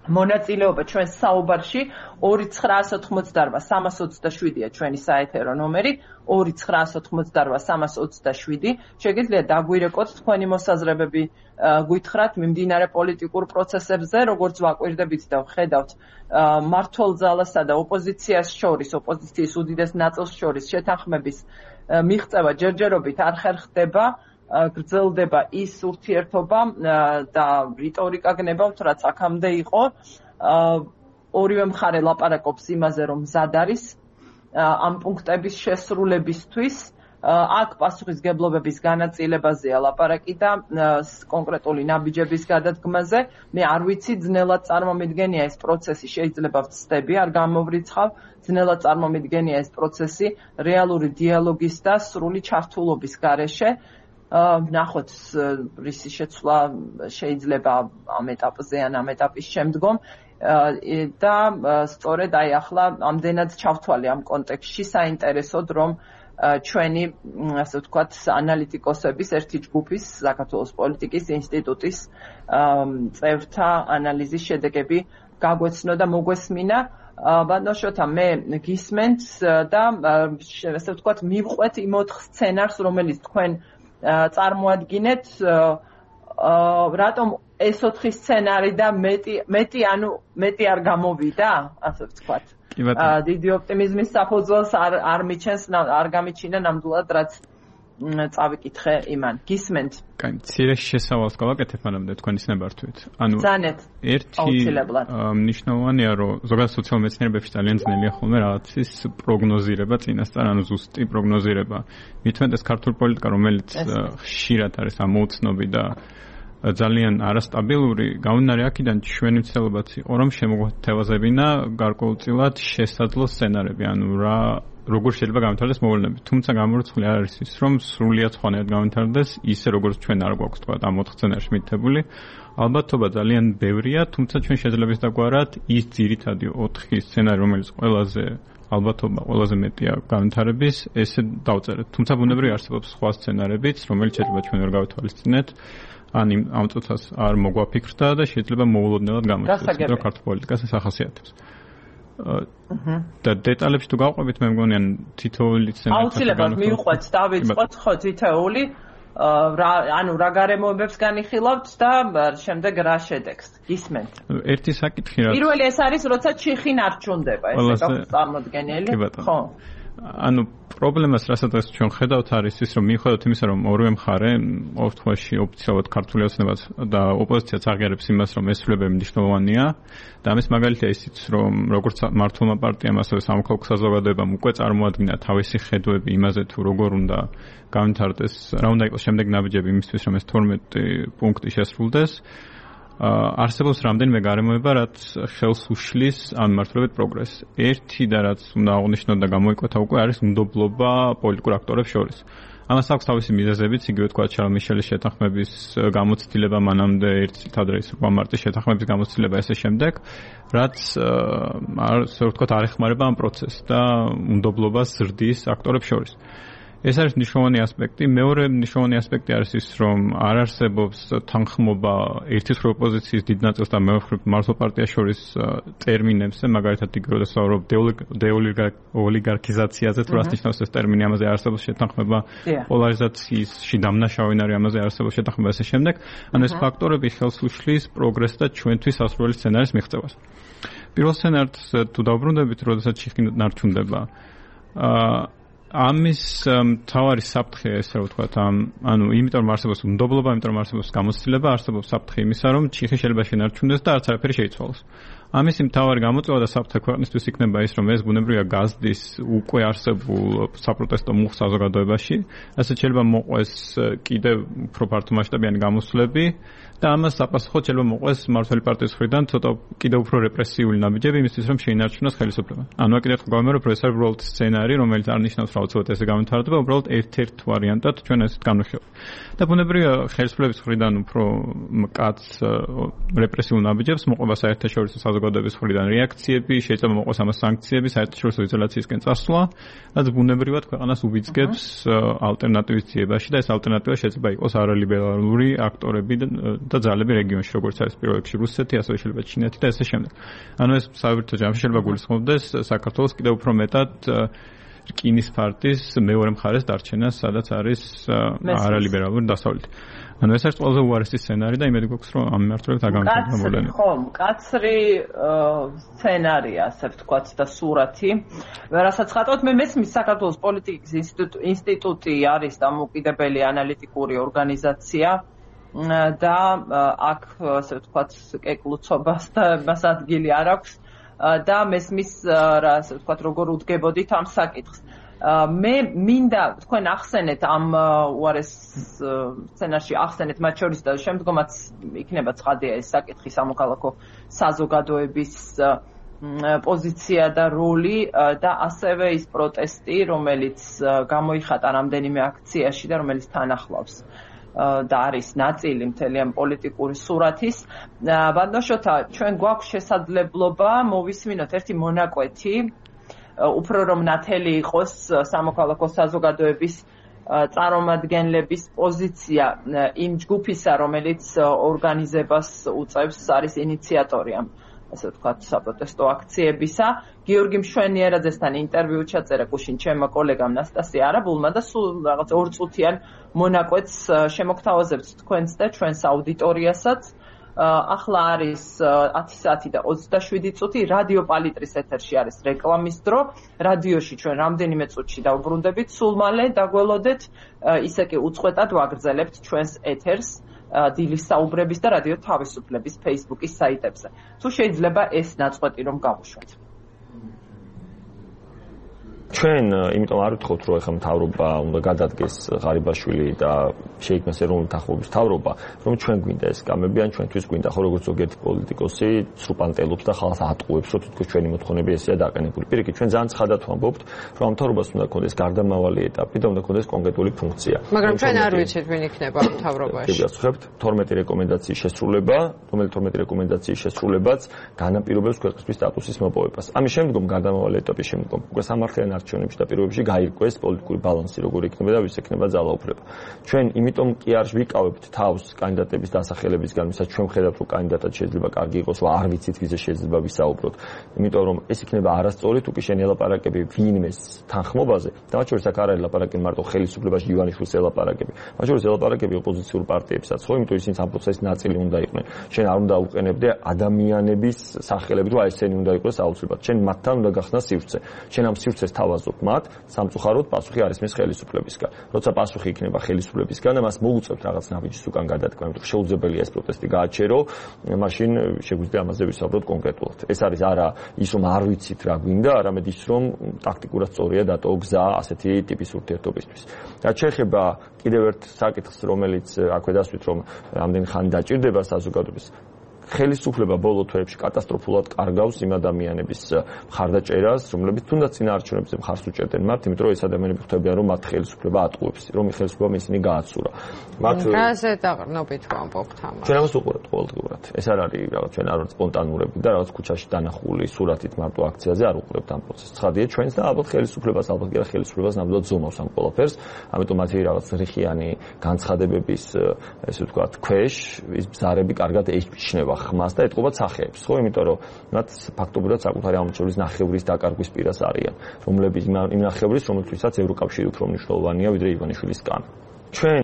მონაწილეობა ჩვენ საუბარში ორი ცხრაას ოთხმოცდარვა სამას ოცდაშვიდია ჩვენი საეთერო ნომერი ორი ცხრაას ოთხმოცდარვა სამას ოცდაშვიდი შეგიძლიათ დაგვირეკოთ თქვენი მოსაზრებები გვითხრათ მიმდინარე პოლიტიკურ პროცესებზე როგორც ვაკვირდებით და ვხედავთ მმართველ ძალასა და ოპოზიციას შორის ოპოზიციის უდიდეს ნაწილს შორის შეთანხმების მიღწევა ჯერჯერობით არ ხერხდება გრძელდება ის ურთიერთობა და რიტორიკა გნებავთ, რაც აქამდე იყო. ორივე მხარე ლაპარაკობს იმაზე, რომ მზად არის ამ პუნქტების შესრულებისთვის. აქ პასუხისგებლობების განაწილებაზეა ლაპარაკი და კონკრეტული ნაბიჯების გადადგმაზე. მე არ ვიცი, ძნელად წარმომიდგენია ეს პროცესი, შეიძლება ვცდები, არ გამოვრიცხავ, ძნელად წარმომიდგენია ეს პროცესი რეალური დიალოგის და სრული ჩართულობის გარეშე. ნახოთ რისი შეცვლა შეიძლება ამ ეტაპზე ან ამ ეტაპის შემდგომ და სწორედ აი ახლა ამდენად ჩავთვალე ამ კონტექსტში საინტერესოდ რომ ჩვენი ასე ვთქვათ ანალიტიკოსების ერთი ჯგუფის საქართველოს პოლიტიკის ინსტიტუტის წევრთა ანალიზის შედეგები გაგვეცნო და მოგვესმინა ბატონო შოთა მე გისმენთ და ასე ვთქვათ მივყვეთ იმ ოთხ სცენარს რომელიც თქვენ წარმოადგინეთ რატომ ეს ოთხი სცენარი და მეტი მეტი ანუ მეტი არ გამოვიდა ასე ვთქვათ დიდი ოპტიმიზმის საფუძველს არ არ მიჩენს არ გამიჩინა ნამდვილად რაც წავიკითხე იმან გისმენთ კაი მცირე შესავალს გავაკეთებ მანამდე თქვენი ცნებართვით ანუ ზანეთ ერთი მნიშვნელოვანია რომ ზოგადად სოციალურ მეცნიერებებში ძალიან ძნელია ხოლმე რაღაცის პროგნოზირება წინასწარ ანუ ზუსტი პროგნოზირება მithumetes ქართულ პოლიტიკა რომელიც ხშირად არის ამოუცნობი და ძალიან არასტაბილური გამომდინარე აქედან ჩვენი მცდელობაც იყო რომ შემოგვეთევაზებინა გარკვეულწილად შესაძლო სცენარები ანუ რა როგორ შეიძლება გამართლდეს მოვლენები. თუმცა გამორიცხული არ არის ის, რომ სრულიად სხვანაირად გამართლდეს ისე როგორც ჩვენ არ გვაქვს თქვა ამ ოთხ სცენარში მითებული. ალბათობა ძალიან ბევრია, თუმცა ჩვენ შეიძლება დაგვარად ის ძირითადი ოთხი სცენარი, რომელიც ყველაზე ალბათობა ყველაზე მეტია განვითარების, ესე დავწერეთ. თუმცა ბუნებრივი არსებობს სხვა სცენარებიც, რომელიც შეიძლება ჩვენ ვერ გავითვალისწინეთ. ან ამ წუთას არ მოგვაფიქრდა და შეიძლება მოულოდნელად გამოიხატოს, რომ ქართულ პოლიტიკას ეს ახასიათებს. და დეტალებში თუ გავყვებით მე მგონი ან თითოეული სცენარი აუცილებლად მივყვეთ დავიწყოთ ხო თითოეული რა ანუ რა გარემოებებს განიხილავთ და შემდეგ რა შედეგს გისმენთ ერთი საკითხი რა პირველი ეს არის როცა ჩიხი ნარჩუნდება ესე გაქვს წარმოდგენილი ხო ანუ პრობლემას რასაც ჩვენ ხედავთ არის ის რომ მიუხედავად იმისა რომ ორივე მხარე ოფთხვაში ოფიციალურად ქართული ოცნებას და ოპოზიციაც აღიარებს იმას რომ ეს ცვლილებები მნიშვნელოვანია და ამის მაგალითია ისიც რომ როგორც მართლმა პარტიამ ასევე სამოქალაქო საზოგადოებამ უკვე წარმოადგინა თავისი ხედვები იმაზე თუ როგორ უნდა განვითარდეს რა უნდა იყოს შემდეგ ნაბიჯები იმისთვის რომ ეს თორმეტი პუნქტი შესრულდეს არსებობს რამდენიმე გარემოება, რაც ხელს უშლის ამ მიმართულებით პროგრესს. ერთი და რაც უნდა აღნიშნოთ და გამოიკვეთა უკვე არის უნდობლობა პოლიტიკურ აქტორებს შორის. ამას აქვს თავისი მიზეზებიც, იგივე თქვა ჩარლ მიშელის შეთანხმების გამოცდილება, მანამდე ერთი წლით ადრე ის მარტის შეთანხმების გამოცდილება ესე შემდეგ, რაც ასე ვთქვათ არ ეხმარება ამ პროცესს და უნდობლობას ზრდის აქტორებს შორის. ეს არის მნიშვნელოვანი ასპექტი. მეორე მნიშვნელოვანი ასპექტი არის ის, რომ არ არსებობს თანხმობა ერთის მხრივ ოპოზიციის დიდ ნაწილს და მეორე მხრივ მართლ პარტიას შორის ტერმინებზე, მაგალითად იგივე ვსაუბრობ დეოლიგარქიზაციაზე, თუ რას ნიშნავს ეს ტერმინი, ამაზე არსებობს შეთანხმება, პოლარიზაციაში დამნაშავენ არის ამაზე არსებობს შეთანხმება ესე შემდეგ. ანუ ეს ფაქტორები ხელს უშლის პროგრესს და ჩვენთვის სასურველი სცენარის მიღწევას. პირველ სცენარს თუ დავბრუნდებით, როდესაც ჩიხი ნარჩუნდება. აა ამის მთავარი საფრთხე ესე ვთქვათ, ამ ანუ იმიტომ რომ არსებობს უნდობლობა, იმიტომ რომ არსებობს გამოცდილება, არსებობს საფრთხე იმისა, რომ ჩიხი შეიძლება შენარჩუნდეს და არც არაფერი შეიცვალოს. ამის მთავარი გამოწვევა და საფრთხე ქვეყნისთვის იქნება ის, რომ ეს ბუნებრივია გაზდის უკვე არსებულ საპროტესტო მუხს საზოგადოებაში, ასეთ შეიძლება მოყვეს კიდევ უფრო ფართო მასშტაბიანი გამოსვლები და ამას საპასუხოდ შეიძლება მოყვეს მმართველი პარტიის მხრიდან ცოტა კიდევ უფრო რეპრესიული ნაბიჯები იმისთვის, რომ შეინარჩუნოს ხელისუფლება. ანუ აკიდეთ გავიმეორებ, რომ ეს არის უბრალოდ სცენარი, რომელიც არ ნიშნავს, რომ უცბად ესე გამეთარდება, უბრალოდ ერთ-ერთ ვარიანტად ჩვენ ესეთ განვიხილავთ. და ბუნებრივია ხელისუფლების მხრიდან უფრო მკაც რეპრესიულ ნაბიჯებს მოყვება საერთაშორისო საზოგადოების მხრიდან რეაქციები, შეიძლება მოყვეს ამას სანქციები, საერთაშორისო იზოლაციისკენ წასვლა, რაც ბუნებრივად ქვეყანას უბიძგებს ალტერნატივის ძიებაში და ეს ალტერნატივა შეიძლება იყოს არალიბერალური აქტორები და ძალები რეგიონში, როგორც არის პირველ რიგში რუსეთი, ასევე შეიძლება ჩინეთი და ესე შემდეგ. ანუ ეს საბჭოთა ჯამში შეიძლება გულისხმობდეს საქართველოს კიდევ უფრო მეტად რკინის ფარტის მეორე მხარეს დარჩენას, სადაც არის არალიბერალური დასავლეთი. ანუ ეს არის ყველაზე უარესი სცენარი და იმედი გვაქვს, რომ ამ მიმართულებით არ გამოვიდა მოვლენა. ხო, მკაცრი სცენარია, ასე ვთქვათ და სურათი. რასაც ხატავთ, მე მესმის საქართველოს პოლიტიკის ინსტიტუტი არის დამოუკიდებელი ანალიტიკური ორგანიზაცია და აქ ასე ვთქვათ კეკლუცობას და მას ადგილი არ აქვს და მესმის რა ასე ვთქვათ როგორ უდგებოდით ამ საკითხს. მე მინდა თქვენ ახსენეთ ამ უარეს სცენარში ახსენეთ მათ შორის და შემდგომაც იქნება ცხადია ეს საკითხი სამოქალაქო საზოგადოების პოზიცია და როლი და ასევე ის პროტესტი, რომელიც გამოიხატა რამდენიმე აქციაში და რომელიც თან ახლავს და არის ნაწილი მთელი ამ პოლიტიკური სურათის. ბატონშოთა, ჩვენ გვაქვს შესაძლებლობა მოვისმინოთ ერთი მონაკვეთი, უფრო რომ ნათელი იყოს სამოქალაქო საზოგადოების წარმომადგენლების პოზიცია იმ ჯგუფისა, რომელიც ორგანიზებას უწევს, არის ინიციატორი ამ ასე ვთქვათ საპროტესტო აქციებისა. გიორგი მშვენიერაძესთან ინტერვიუ ჩაწერა გუშინ ჩემმა კოლეგამ ნასტასია არაბულმა და სულ რაღაც ორწუთიან მონაკვეთს შემოგთავაზებთ თქვენს და ჩვენს აუდიტორიასაც. ახლა არის ათი საათი და ოცდაშვიდი წუთი, რადიო პალიტრის ეთერში არის რეკლამის დრო. რადიოში ჩვენ რამდენიმე წუთში დავბრუნდებით, სულ მალე დაგველოდეთ, ისე კი უწყვეტად ვაგრძელებთ ჩვენს ეთერს დილის საუბრების და რადიო თავისუფლების Facebook-ის საიტებზე. თუ შეიძლება ეს ნაწყვეტი რომ გავუშვათ. ჩვენ იმიტომ არ ვთხოვთ, რომ ეხლა მთავრობა უნდა გადადგეს ღარიბაშვილი და შეიქმნას ეროვნული თანხმობის მთავრობა, რომ ჩვენ გვინდა ეს გამები, ან ჩვენთვის გვინდა, ხო როგორც ზოგიერთი პოლიტიკოსი ცრუპანტელობს და ხალხს ატყუებს, რომ თითქოს ჩვენი მოთხოვნები ესეა დაყენებული. პირიქით, ჩვენ ძალიან ცხადად ვამბობთ, რომ მთავრობას უნდა ქონდეს გარდამავალი ეტაპი და უნდა ქონდეს კონკრეტული ფუნქცია. მაგრამ ჩვენ არ ვიცით, ვინ იქნება მთავრობაში. გასწრებთ თორმეტი რეკომენდაციის შესრულება, რომელიც თორმეტი რეკომენდაციის შესრულებაც განაპირობებს ქვეყნისთვის სტატუსის მოპოვებას. ამის შემდგომ გარდამავალი ეტაპის შემდგომ უკვე სამართლიან არჩევნებში და პირობებში გაირკვეს პოლიტიკური ბალანსი, როგორი იქნება და ვის ექნება ძალაუფლება. ჩვენ იმიტომ კი არ ვიკავებთ თავს კანდიდატების დასახელებისგან, ვისაც ჩვენ ვხედავთ, რომ კანდიდატად შეიძლება კარგი იყოს, რომ არ ვიცით ვიზე შეიძლება ვისაუბროთ. იმიტომ რომ ეს იქნება არასწორი, თუ კი შენ ელაპარაკები ვინმეს თანხმობაზე, და მათ შორის აქ არ არის ლაპარაკი მარტო ხელისუფლებაში ივანიშვილს ელაპარაკები. მათ შორის ელაპარაკები ოპოზიციურ პარტიებსაც, ხო, იმიტომ ისინი ამ პროცესის ნაწილი უნდა იყვნენ. შენ არ უნდა უყენებდე ადამიანების სახელებით, რომ აი ესენი უნდა იყოს აუცილებლად. შენ მათთან უნდა გახსნა სივრცე. შენ ამ სივრცეს თავაზობ მათ, სამწუხაროდ პასუხი არ ისმის ხელისუფლებისგან. როცა პასუხი იქნება ხელისუფლებისგან, ამას მოუწევთ რაღაც ნაბიჯის უკან გადადგმა, იმიტომ რომ შეუძლებელია ეს პროტესტი გააჩერო, მაშინ შეგვიძლია ამაზე ვისაუბროთ კონკრეტულად. ეს არის არა ის, რომ არ ვიცით რა გვინდა, არამედ ის, რომ ტაქტიკურად სწორია დატოვა გზა ასეთი ტიპის ურთიერთობისთვის. რაც შეეხება კიდევ ერთ საკითხს, რომელიც აქვე დასვით, რომ რამდენი ხანი დაჭირდება საზოგადოების ხელისუფლება ბოლო თვეებში კატასტროფულად კარგავს იმ ადამიანების მხარდაჭერას, რომლებიც თუნდაც წინაარჩევნებზე მხარს უჭერდნენ მათ, იმიტომ რომ ეს ადამიანები ხვდებიან, რომ მათ ხელისუფლება ატყუებს, რომ ხელისუფლებამ ისინი გააცურა. მათ რაზე დაყრდნობით ვამბობთ ამას? ჩვენ ამას უყურებთ ყოველდღიურად. ეს არ არის რაღაც ჩვენ არ ვართ სპონტანურები და რაღაც ქუჩაში დანახული სურათით მარტო აქციაზე არ უყურებთ ამ პროცესს. ცხადია ჩვენს და ალბათ ხელისუფლებას, ალბათ კი არა ხელისუფლებას ნამდვილად ზომავს ამ ყველაფერს, ამიტომ მათი რაღაც რიხიანი განცხადებების ესე ვთქვათ ქვეშ ის ბზარები კარგად ეჩნევა ხმას და ეთყობა სახეებს, ხო, იმიტომ რომ მათ ფაქტობრივად საკუთარი ამორჩევლის ნახევრის დაკარგვის პირას არიან, რომლებიც იმ ნახევრის, რომელთვისაც ევროკავშირი უფრო მნიშვნელოვანია ვიდრე ივანიშვილისგან. ჩვენ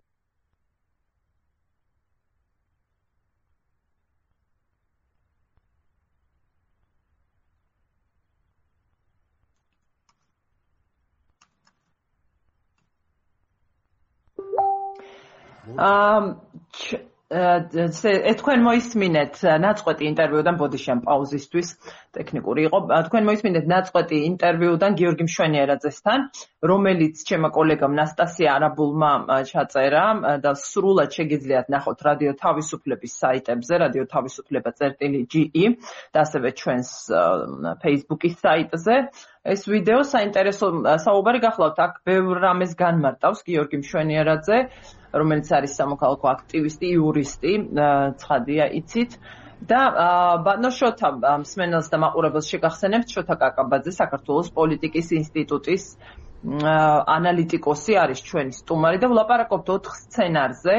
თქვენ მოისმინეთ ნაწყვეტი ინტერვიუდან ბოდიშამ პაუზისთვის ტექნიკური იყო. თქვენ მოისმინეთ ნაწყვეტი ინტერვიუდან გიორგი მშვენიერაძესთან, რომელიც ჩემო კოლეგამ ნასტასია არაბულმა ჩაწერა და სრულად შეგიძლიათ ნახოთ რადიო თავისუფლების საიტებზე, რადიო თავისუფლება წერტილი ჯი ი და ასევე ჩვენს Facebook-ის საიტზე. ეს ვიდეო საინტერესო საუბარი გახლავთ, აქ ბევრ რამეს განმარტავს გიორგი მშვენიერაძე, რომელიც არის სამოქალაქო აქტივისტი, იურისტი, ცხადია იცით და ბატონო შოთა მსმენელს და მაყურებელს შეგახსენებთ, შოთა კაკაბაძე საქართველოს პოლიტიკის ინსტიტუტის ანალიტიკოსი არის ჩვენი სტუმარი და ვლაპარაკობთ ოთხ სცენარზე,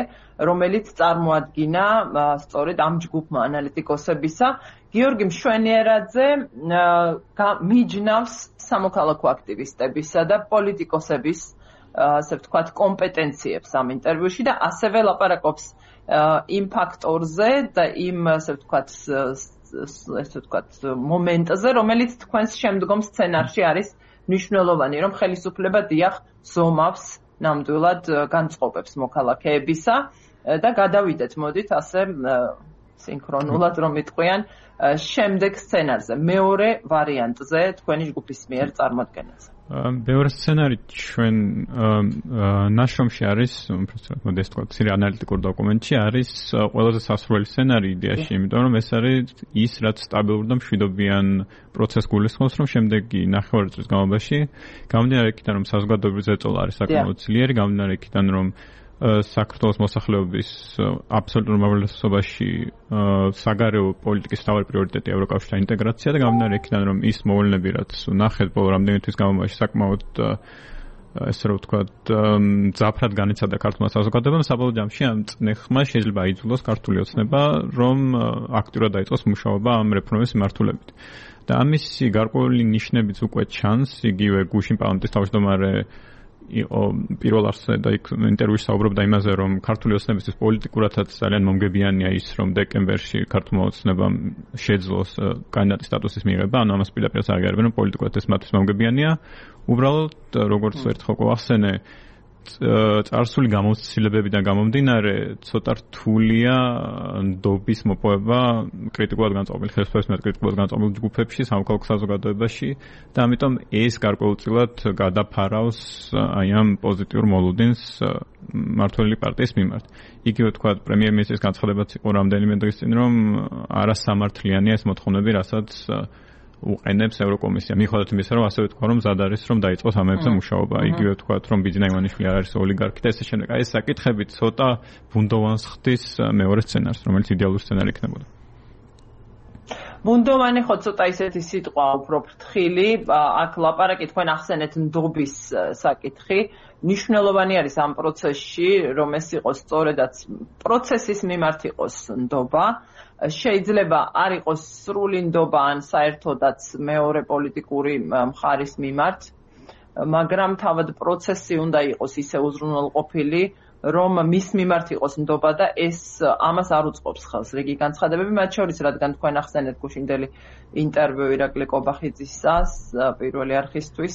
რომელიც წარმოადგინა სწორედ ამ ჯგუფმა ანალიტიკოსებისა. გიორგი მშვენიერაძე მიჯნავს სამოქალაქო აქტივისტებისა და პოლიტიკოსების ასე ვთქვათ კომპეტენციებს ამ ინტერვიუში და ასევე ლაპარაკობს იმ ფაქტორზე და იმ ასე ვთქვათ ასე ვთქვათ მომენტზე, რომელიც თქვენს შემდგომ სცენარში არის მნიშვნელოვანი, რომ ხელისუფლება დიახ ზომავს ნამდვილად განწყობებს მოქალაქეებისა და გადავიდეთ მოდით ასე სინქრონულად რომ იტყვიან შემდეგ სცენარზე, მეორე ვარიანტზე თქვენი ჯგუფის მიერ წარმოადგენაზე. მეორე სცენარი ჩვენ ნაშრომში არის, უბრალოდ მოდესთ თქვა, ცირე ანალიტიკურ დოკუმენტში არის ყველაზე სასურველი სცენარი იდეაში, იმიტომ რომ ეს არის ის, რაც სტაბილურ და მშვიდობიან პროცესს გულისხმობს, რომ შემდეგი ნახევარი წლის განმავლობაში გამომდინარე იქიდან, რომ საზოგადოების ზეწოლა არის საკმაოდ ძლიერი, გამომდინარე იქიდან, რომ საქართველოს მოსახლეობის აბსოლუტურ უმრავლესობაში საგარეო პოლიტიკის მთავარი პრიორიტეტი ევროკავშირთან ინტეგრაცია და გამომდინარე იქიდან, რომ ის მოვლენები, რაც ნახეთ ბოლო რამდენიმე თვის განმავლობაში საკმაოდ ესე რომ ვთქვათ მძაფრად განიცადა ქართულმა საზოგადოებამ, საბოლოო ჯამში ამ წნეხმა შეიძლება აიძულოს ქართული ოცნება, რომ აქტიურად დაიწყოს მუშაობა ამ რეფორმების მიმართულებით. და ამისი გარკვეული ნიშნებიც უკვე ჩანს, იგივე გუშინ პარლამენტის თავმჯდომარე იყო პირველ არსზე და იქ ინტერვიუში საუბრობდა იმაზე, რომ ქართული ოცნებისთვის პოლიტიკურადაც ძალიან მომგებიანია ის, რომ დეკემბერში ქართულმა ოცნებამ შეძლოს კანდიდატის სტატუსის მიღება, ანუ ამას პირდაპირ აღიარებენ, რომ პოლიტიკურად ეს მათთვის მომგებიანია. უბრალოდ როგორც ერთხელ გვახსენე, წარსული გამოცდილებებიდან გამომდინარე, ცოტა რთულია ნდობის მოპოვება კრიტიკულად განწყობილ ხელისუფლების მიერ კრიტიკულად განწყობილ ჯგუფებში, სამოქალაქო საზოგადოებაში და ამიტომ ეს გარკვეულწილად გადაფარავს აი ამ პოზიტიურ მოლოდინს მმართველი პარტიის მიმართ. იგივე თქვა პრემიერ-მინისტრის განცხადებაც იყო რამდენიმე დღის წინ, რომ არასამართლიანია ეს მოთხოვნები, რასაც უყენებს ევროკომისია. მიუხედავად იმისა, რომ ასევე თქვა, რომ მზად არის, რომ დაიწყოს ამებზე მუშაობა. იგივე თქვა, რომ ბიძინა ივანიშვილი არ არის ოლიგარქი და ესე შემდეგ. აი ეს საკითხები ცოტა ბუნდოვანს ხდის მეორე სცენარს, რომელიც იდეალური სცენარი იქნებოდა. ბუნდოვანი ხო ცოტა ისეთი სიტყვა უფრო ფრთხილი, აქ ლაპარაკი თქვენ ახსენეთ ნდობის საკითხი. მნიშვნელოვანი არის ამ პროცესში, რომ ეს იყოს სწორედაც პროცესის მიმართ იყოს ნდობა. შეიძლება არ იყოს სრული ნდობა ან საერთოდაც მეორე პოლიტიკური მხარის მიმართ, მაგრამ თავად პროცესი უნდა იყოს ისე უზრუნველყოფილი, რომ მის მიმართ იყოს ნდობა და ეს ამას არ უწყობს ხელს რიგი განცხადებები, მათ შორის რადგან თქვენ ახსენეთ გუშინდელი ინტერვიუ ირაკლი კობახიძისას პირველი არხისთვის,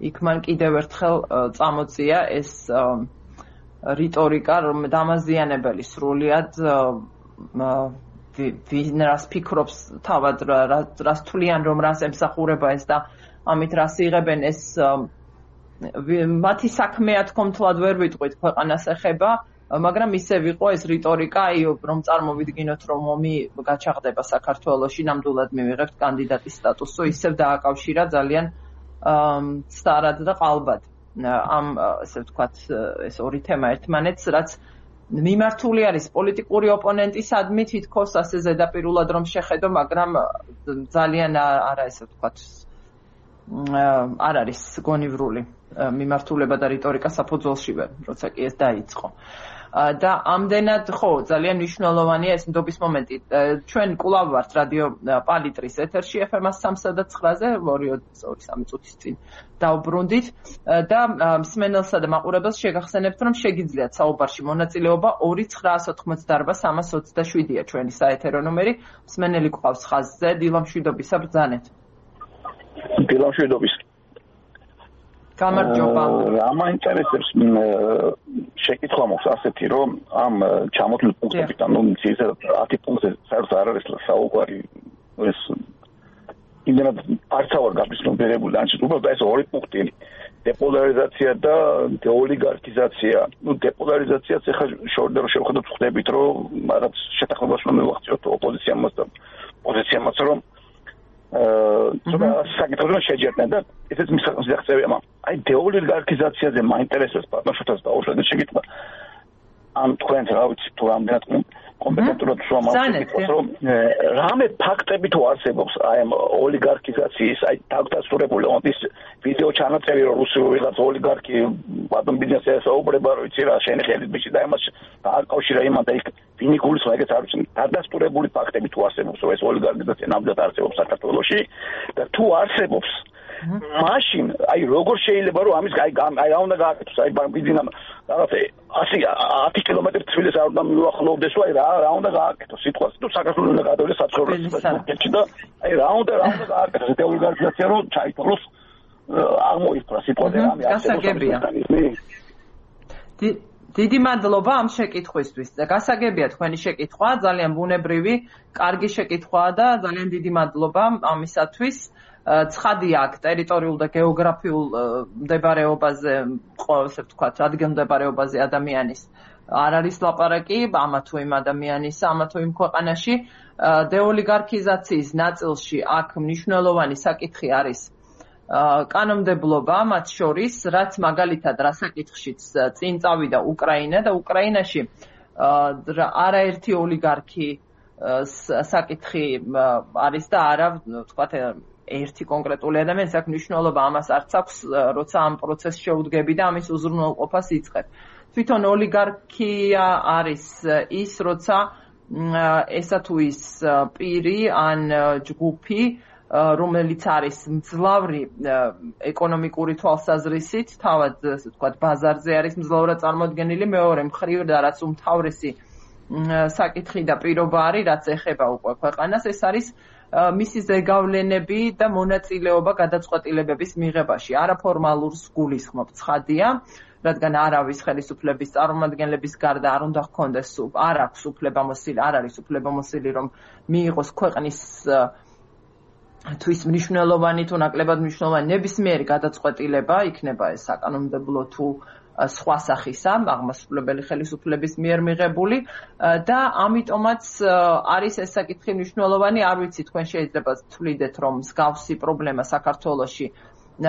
იქ მან კიდევ ერთხელ წამოწია ეს რიტორიკა, რომ დამაზიანებელი სრულიად ვინ რას ფიქრობს თავად რას თვლიან, რომ რას ემსახურება ეს და ამით რას იღებენ ეს მათი საქმეა თქომთლად ვერ ვიტყვით ქვეყანას ეხება, მაგრამ ისე ვიყო ეს რიტორიკა, აი რომ წარმოვიდგინოთ, რომ ომი გაჩაღდება საქართველოში, ნამდვილად მივიღებთ კანდიდატის სტატუსო, ისევ დააკავშირა ძალიან სწარად და ყალბად ამ ასე ვთქვათ ეს ორი თემა ერთმანეთს, რაც მიმართული არის პოლიტიკური ოპონენტისადმი თითქოს ასე ზედაპირულად რომ შეხედო, მაგრამ ძალიან არა ესე ვთქვათ არ არის გონივრული მიმართულება და რიტორიკა საფუძველშივე, როცა კი ეს დაიწყო. და ამდენად ხო ძალიან მნიშვნელოვანია ეს ნდობის მომენტი. ჩვენ კვლავ ვართ რადიო პალიტრის ეთერში ეფ ემ სამსა და ცხრაზე ორი სამი წუთის წინ დავბრუნდით და მსმენელსა და მაყურებელს შეგახსენებთ, რომ შეგიძლიათ საუბარში მონაწილეობა ორი ცხრაას ოთხმოცდაარბა სამას ოცდაშვიდია ჩვენი საეთერო ნომერი. მსმენელი გვყავს ხაზზე, დილამშვიდობისა ბრძანეთ. დილამშვიდობის. გამარჯობა. რა მაინტერესებს შეკითხვა მოხს ასეთი რომ ამ ჩამოთვლილ პუნქტებიდან ნუ ძირითადად ათი პუნქტზე საერთოდ არ არის საუბარი ეს იმდენად არც არ გაბიზნობერებული ან უბრალოდ ეს ორი პუნქტი დეპოლარიზაცია და დეოლიგარქიზაცია. ნუ დეპოლარიზაციაც ახლა შორდა რომ შევხედოთ ხდებით რომ რაღაც შეთანხმებას რომ მივახციოთ ოპოზიციამაც და პოზიციამაც რომ აა საკითხებს შეჯერდნენ და ესეც მისაღწევია მაგრამ აი დეოლიგარქიზაციაზე მაინტერესებს ბატონშოთაც დაუშვათ შეკითხვა ამ თქვენ რა ვიცი თუ რამდენად კომპეტენტურად შევამოწმოთ რომ რამე ფაქტები თუ არსებობს აი ამ ოლიგარქიზაციის აი დაგდასტურებული ის ვიდეო ჩანაწერი რომ რუსული ვიღაც ოლიგარქი ბატონ ბიზნესზე საუბრება რომ იცი რა შენი ხელით ბიჭი და იმას დააკავშირა იმან და იქ ვინი გულისხმობს ეგეც არ ვიცი დაგდასტურებული ფაქტები თუ არსებობს რომ ეს ოლიგარქიზაცია ნამდვილად არსებობს საქართველოში და თუ არსებობს მაშინ აი როგორ შეიძლება რომ ამის აი აი რა უნდა გააკეთოს აი ბიზნესამ რაღაც ათი კილომეტრი თბილისს არ უნდა მიუახლოვდეს აი რა რა უნდა გააკეთოს სიტყვას თუ საქართველოს უნდა გადავიდეს საცხოვრებლად და აი რა უნდა რა უნდა გააკეთოს დეოლიგარქიზაცია რომ ჩაითვალოს აღმოიფრა სიტყვაზე რამე არსებობს დიდი მადლობა ამ შეკითხვისთვის. გასაგებია თქვენი შეკითხვა, ძალიან ბუნებრივი, კარგი შეკითხვაა და ძალიან დიდი მადლობა ამისათვის. ცხადია აქ ტერიტორიულ და გეოგრაფიულ მდებარეობაზე, ესე ვთქვათ, ადგილმდებარეობაზე ადამიანის არ არის ლაპარაკი, ამა თუ იმ ადამიანისა, ამა თუ იმ ქვეყანაში. დეოლიგარქიზაციის ნაწილში აქ მნიშვნელოვანი საკითხი არის კანონმდებლობა, მათ შორის, რაც მაგალითად რა საკითხშიც წინ წავიდა უკრაინა და უკრაინაში არაერთი ოლიგარქი საკითხი არის და არა, ვთქვათ, ერთი კონკრეტული ადამიანის აქ მნიშვნელობა ამას არც აქვს, როცა ამ პროცესს შეუდგები და ამის უზრუნველყოფას იწყებ. თვითონ ოლიგარქია არის ის, როცა ესა თუ ის პირი ან ჯგუფი რომელიც არის მძლავრი ეკონომიკური თვალსაზრისით, თავად ასე ვთქვათ, ბაზარზე არის მძლავრად წარმოდგენილი, მეორე მხრივ და რაც უმთავრესი საკითხი და პირობა არის, რაც ეხება უკვე ქვეყანას, ეს არის მისი ზეგავლენები და მონაწილეობა გადაწყვეტილებების მიღებაში. არაფორმალურს გულისხმობ, ცხადია, რადგან არავის ხელისუფლების წარმომადგენლების გარდა არ უნდა ჰქონდეს, არ აქვს უფლებამოსილი, არ არის უფლებამოსილი, რომ მიიღოს ქვეყნის თვის მნიშვნელოვანი თუ ნაკლებად მნიშვნელოვანი ნებისმიერი გადაწყვეტილება, იქნება ეს საკანონმდებლო თუ სხვა სახისა, აღმასრულებელი ხელისუფლების მიერ მიღებული და ამიტომაც არის ეს საკითხი მნიშვნელოვანი, არ ვიცი თქვენ შეიძლება თვლიდეთ, რომ მსგავსი პრობლემა საქართველოში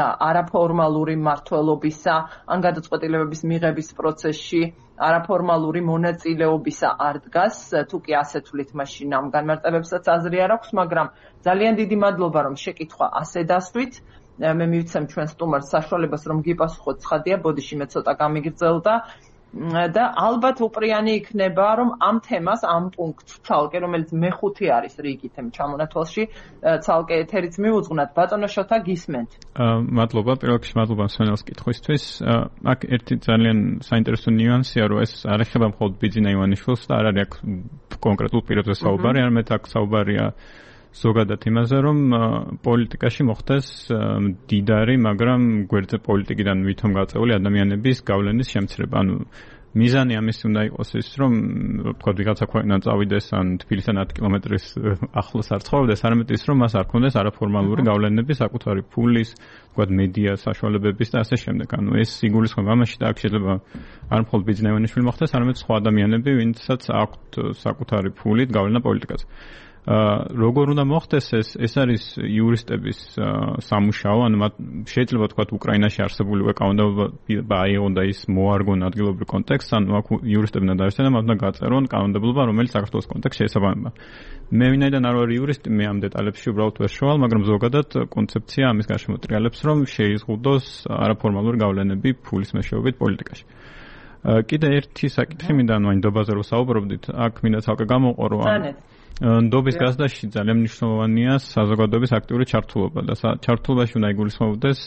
არაფორმალური მმართველობისა ან გადაწყვეტილებების მიღების პროცესში არაფორმალური მონაწილეობისა არ დგას, თუ კი ასე თვლით, მაშინ ამ განმარტებებსაც აზრი არ აქვს, მაგრამ ძალიან დიდი მადლობა, რომ შეკითხვა ასე დასვით. მე მივიცემ ჩვენ სტუმარს საშუალებას, რომ გიპასუხოთ, ცხადია, ბოდიში მე ცოტა გამიგრძელდა და ალბათ უპრიანი იქნება, რომ ამ თემას, ამ პუნქტს ცალკე, რომელიც მეხუთე არის რიგით ამ ჩამონათვალში, ცალკე ეთერიც მიუძღვნათ. ბატონო შოთა, გისმენთ. მადლობა, პირველ რიგში მადლობა მსმენელს კითხვისთვის. აქ ერთი ძალიან საინტერესო ნიუანსია, რომ ეს არ ეხება მხოლოდ ბიძინა ივანიშვილს და არ არის აქ კონკრეტულ პირებზე საუბარი, არამედ აქ საუბარია ზოგადად იმაზე, რომ პოლიტიკაში მოხდეს მდიდარი, მაგრამ გვერდზე პოლიტიკიდან ვითომ გაწეული ადამიანების გავლენის შემცირება. ანუ მიზანი ამის უნდა იყოს ის, რომ თქვა ვიღაცა ქვეყნიდან წავიდეს ან თბილისთან ათი კილომეტრის ახლოს არ ცხოვრდეს, არამედ ის, რომ მას არ ქონდეს არაფორმალური გავლენები საკუთარი ფულის, თქვა მედია საშუალებების და ასე შემდეგ. ანუ ეს იგულისხმება ამაში და აქ შეიძლება არ მხოლოდ ბიძინა ივანიშვილი მოხდეს, არამედ სხვა ადამიანები, ვინცაც აქვთ საკუთარი ფულით გავლენა პოლიტიკაზე. როგორ უნდა მოხდეს ეს ეს არის იურისტების სამუშაო, ანუ შეიძლება თქვა უკრაინაში არსებული კანონმდებლობა აიღონ და ის მოარგონ ადგილობრივ კონტექსტს, ანუ აქ იურისტები უნდა დაესწრონ და მათ უნდა გაწერონ კანონმდებლობა, რომელიც საქართველოს კონტექსტში შეესაბამება. მე ვინაიდან არ ვარ იურისტი, მე ამ დეტალებში უბრალოდ ვერ შევვალ, მაგრამ ზოგადად კონცეფცია ამის გარშემო ტრიალებს, რომ შეიზღუდოს არაფორმალური გავლენები ფულის მეშვეობით პოლიტიკაში. კიდე ერთი საკითხი მინდა, ანუ ნდობაზე რო საუბრობდით, აქ მინდა ცალკე გამოვყო, რომ ნდობის გაზრდაში ძალიან მნიშვნელოვანია საზოგადოების აქტიური ჩართულობა და ჩართულობაში უნდა იგულისხმობდეს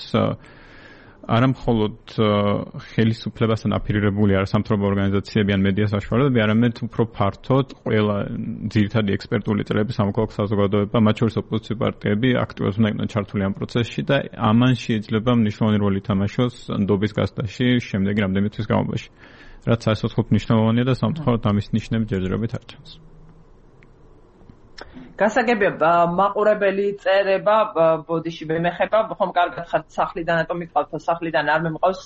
არა მხოლოდ ხელისუფლებასთან აფილირებული არასამთავრობო ორგანიზაციები ან მედია საშუალებები, არამედ უფრო ფართოდ ყველა ძირითადი ექსპერტული წრეები, სამოქალაქო საზოგადოება, მათ შორის ოპოზიციური პარტიები აქტიურად უნდა იყვნენ ჩართული ამ პროცესში და ამან შეიძლება მნიშვნელოვანი როლი ითამაშოს ნდობის გასდაში შემდეგი რამდენიმე თვის განმავლობაში. რაც საერთოდ მნიშვნელოვანია და სამწუხაროდ ამის ნიშნები ჯერჯერობით არ ჩანს. გასაგებია მაყურებელი წერება ბოდიში მეხება ხომ კარგად ხართ სახლიდან ატომ მიყავთ სახლიდან არ მემყავს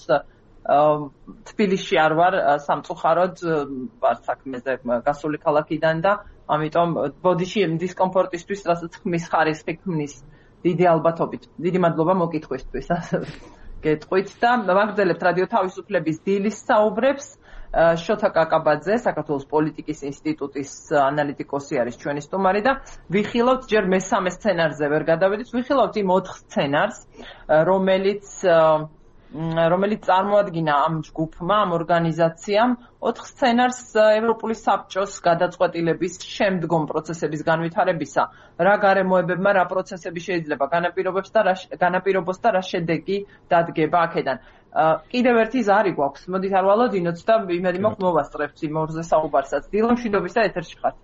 თბილისში არ ვარ სამწუხაროდ ვარ საქმეზე გასული ქალაქიდან და ამიტომ ბოდიში დისკომფორტისთვის რასაც ხმის ხარისხი ქმნის დიდი ალბათობით დიდი მადლობა მოკითხვისთვის გეტყვით და ვაგრძელებთ რადიო თავისუფლების დილის საუბრებს შოთა კაკაბაძე, საქართველოს პოლიტიკის ინსტიტუტის ანალიტიკოსი არის ჩვენი სტუმარი და ვიხილავთ ჯერ მესამე სცენარზე ვერ გადავედით, ვიხილავთ იმ ოთხ სცენარს, რომელიც რომელიც წარმოადგინა ამ ჯგუფმა, ამ ორგანიზაციამ, ოთხ სცენარს ევროპული საბჭოს გადაწყვეტილების შემდგომ პროცესების განვითარებისა, რა გარემოებებმა რა პროცესები შეიძლება განაპირობებს და რა განაპირობოს და რა შედეგი დადგება აქედან. კიდევ ერთი ზარი გვაქვს. მოდით არ ვალოდინოთ და იმედი მაქვს მოვასწრებთ იმ ორზე საუბარსაც. დილამშვიდობისა ეთერში ხართ.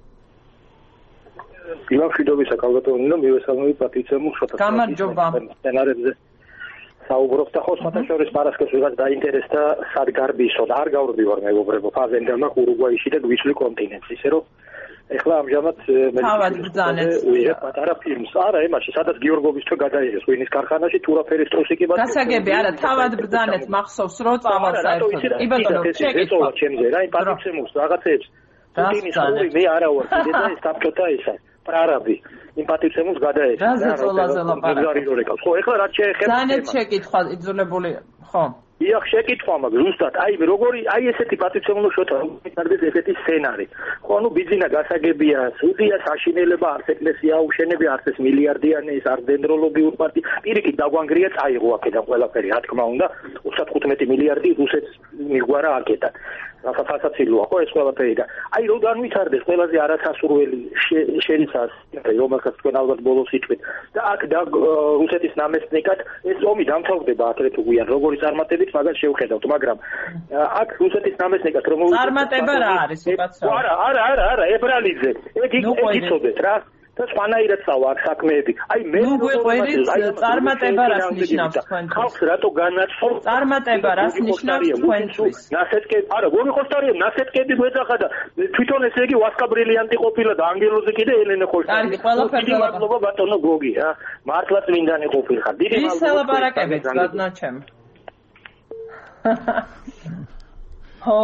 დილამშვიდობისა კალბატონი მივესალმები პატრიცია მუშოთა. გამარჯობა. სცენარებზე საუბრობთ და ხო სხვათა შორის პარასკევს ვიღაც დაინტერესდა სად გარბისო და არ გავრბივარ მეგობრებო ფაზენდა მაქვს ურუგვაიში და გვისვლი კონტინენტს ისე რომ ეხლა ამჟამად მე ვიღებ პატარა ფილმს არა ემაში სადაც გიორგოვის თო გადაიღეს ვინის ქარხანაში თურაფერის ტრუსიკი ბატონო გასაგები არა თავად ბრძანეთ მახსოვს რო წავალ საერთოდ კი ბატონო შეგეწოვა ჩემზე რა იმ პატრიცემუს რაღაცებს პუტინის ხური მე არა ვარ კიდე და ეს საბჭოთა ისა პრარაბი იმ პატრიცემუს გადაეცა რა ზოლაზე ლაპარაკი ხო ეხლა რა შეეხება ბრძანეთ შეკითხვა იძულებული ხო იახ შეკითხვა მაგ ზუსტად აი როგორი აი ესეთი პატრიცემულო შოთა არის ესეთი სცენარი ხო ნუ ბიძინა გასაგებია სუდია საშინელება არც ეკლესია აუშენებია არც ეს მილიარდიანი ეს არ დენდროლოგიურ პარტი პირიქით დაგვანგრია წაიღო აქედან ყველაფერი რა თქმა უნდა ოცდათხუთმეტი მილიარდი რუსეთს მიგვარა აქედან სასაცილოა ხო ეს ყველაფერი და აი რო განვითარდეს ყველაზე არასასურველი შერიცას რომელსაც თქვენ ალბათ ბოლოს იტყვით და აქ და რუსეთის ნამესტნიკად ეს ომი დამთავრდება აქეთ უგვიან როგორი წარმატებით მაგას შევხედავთ მაგრამ აქ რუსეთის ნამესტნიკად რომ წარმატება რა არის უკაცრავ არა არა არა არა ებრალიძე ეგ იცოდეთ რა და სხვანაირად წავა აქ საქმეები აი მე ნუ გვიყვერით წარმატება რას ნიშნავს თქვენ ხალხს რატო განაცხადო წარმატება რას ნიშნავს თქვენთვის ნასეთკე არა გონი ხოსტარია ნასეთკები გვეძახა და თვითონ ესე იგი ვასკა ბრილიანტი ყოფილა და ანგელოზი კიდე ელენე ხოსტარი კარგი ყველაფერზე მადლობა ბატონო გოგი რა მართლა წმინდანი ყოფილხარ დიდი მადლობა ის ლაპარაკებით გადნაჩემ ხო,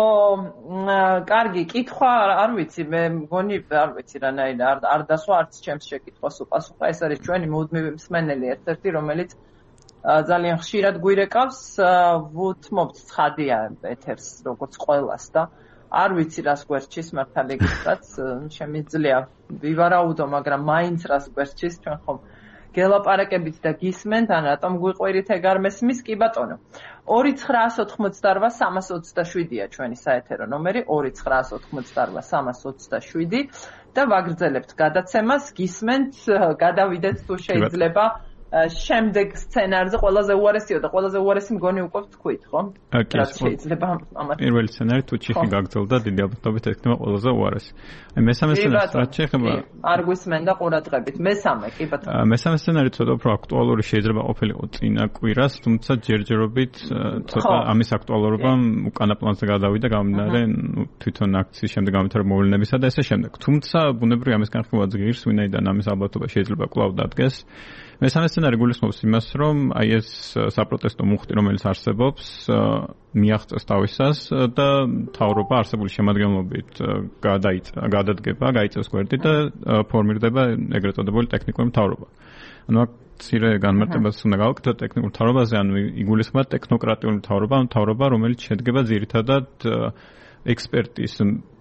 კარგი, კითხვა არ ვიცი, მე მგონი არ ვიცი რანაირად არ არ დასვა არც ჩემს შეკითხვას უპასუხა, ეს არის ჩვენი მუდმივი მსმენელი ერთ-ერთი, რომელიც ძალიან ხშირად გვირეკავს, ვუთმობთ ცხადია ეთერს, როგორც ყველას და არ ვიცი რას გვერდჩის მართალი გითხრათ, შემიძლია ვივარაუდო, მაგრამ მაინც რას გვერდჩის, ჩვენ ხომ გელაპარაკებით და გისმენთ, ან რატომ გვიყვირით ეგ არ მესმის, კი ბატონო. ორი ცხრაას ოთხმოცდარბა სამას ოცდაშვიდია ჩვენი საეთერო ნომერი ორი ცხრაას ოთხმოცდარბა სამას ოცდაშვიდი და ვაგრძელებთ გადაცემას, გისმენთ, გადავიდეთ თუ შეიძლება შემდეგ სცენარზე ყველაზე უარესიო და ყველაზე უარესი მგონი უკვე ვთქვით, ხო? რაც შეიძლება ამათ. პირველი სცენარი თუ ჩიხი გაგრძელდა, დიდი ალბათობით ექნება ყველაზე უარესი. აი მესამე სცენარი რაც შეეხება არ გვისმენდა ყურადღებით. მესამე, კი ბატონო. მესამე სცენარი ცოტა უფრო აქტუალური შეიძლება ყოფილიყო წინა კვირას, თუმცა ჯერჯერობით ცოტა ამის აქტუალურობამ უკანა პლანზე გადავიდა გამდინარე თვითონ აქციის შემდეგ გამვითარებულ მოვლენებისა და ესე შემდეგ. თუმცა ბუნებრივია ამის განხილვა ძგირს, ვინაიდან ამის ალბათობა შეიძლება კვლავ დადგეს. მესამე სცენარი გულისხმობს იმას, რომ აი ეს საპროტესტო მუხტი, რომელიც არსებობს, მიაღწევს თავისას და მთავრობა არსებული შემადგენლობით გადადგება, გაიწევს გვერდი და ფორმირდება ეგრეთ წოდებული ტექნიკური მთავრობა. ანუ აქ მცირე განმარტებას უნდა გავაკეთოთ ტექნიკურ მთავრობაზე, ანუ იგულისხმება ტექნოკრატიული მთავრობა, მთავრობა, რომელიც შედგება ძირითადად ექსპერტის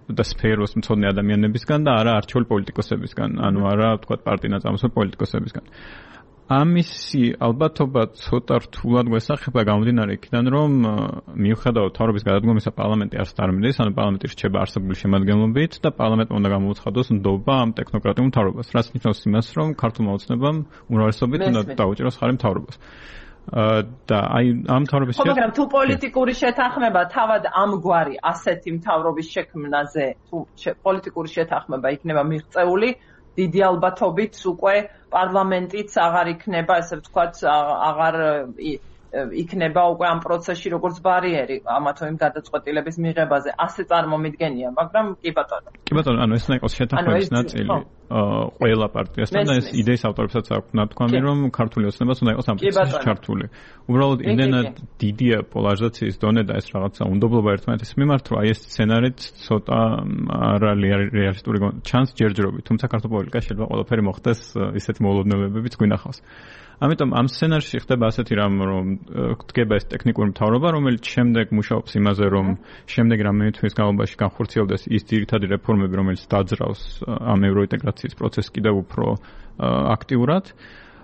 და სფეროს მცოდნე ადამიანებისგან და არა არჩეული პოლიტიკოსებისგან, ანუ არა თქვა პარტინა-წამოსული პოლიტიკოსებისგან. ამისი ალბათობა ცოტა რთულად გვესახება გამომდინარე იქიდან, რომ მიუხედავად თავრობის გადადგომისა პარლამენტი არ სტარმიდეს, ანუ პარლამენტი რჩება არსებული შემადგენლობით და პარლამენტმა უნდა გამოუცხადოს ნდობა ამ ტექნოკრატიულ მთავრობას, რაც ნიშნავს იმას, რომ ქართულმა ოცნებამ უმრავლესობით უნდა დაუჭიროს ხარი მთავრობას. და აი ამ მთავრობის ხო მაგრამ თუ პოლიტიკური შეთანხმება თავად ამგვარი ასეთი მთავრობის შექმნაზე თუ პოლიტიკური შეთანხმება იქნება მიღწეული დიდი ალბათობით უკვე პარლამენტიც აღარ იქნება ესე ვთქვათ აღარ იქნება უკვე ამ პროცესში როგორც ბარიერი ამა თუ იმ გადაწყვეტილების მიღებაზე ასე წარმომიდგენია მაგრამ კი ბატონო კი ბატონო ანუ ეს იყო შეთანხმების ნაწილი ყველა პარტიასთან და ეს იდეის ავტორებსაც აქვს ნათქვამი რომ ქართული ოცნებას უნდა იყოს ამ პროცესში ჩართული უბრალოდ იმდენად დიდია პოლარიზაციის დონე და ეს რაღაცა უნდობლობა ერთმანეთის მიმართ რომ აი ეს სცენარიც ცოტა არა რეალისტური ჩანს ჯერჯერობით თუმცა ქართულ პოლიტიკაში შეიძლება ყველაფერი მოხდეს ისეთი მოულოდნელებებიც გვინახავს ამიტომ ამ სცენარში ხდება ასეთი რამ რომ გდგება ეს ტექნიკური მთავრობა რომელიც შემდეგ მუშაობს იმაზე რომ შემდეგ რამე თვის განმავლობაში განხორციელდეს ის ძირითადი რეფორმები რომელიც დაძრავს ამ ევროინტეგრაციის პროცესს კიდევ უფრო აქტიურად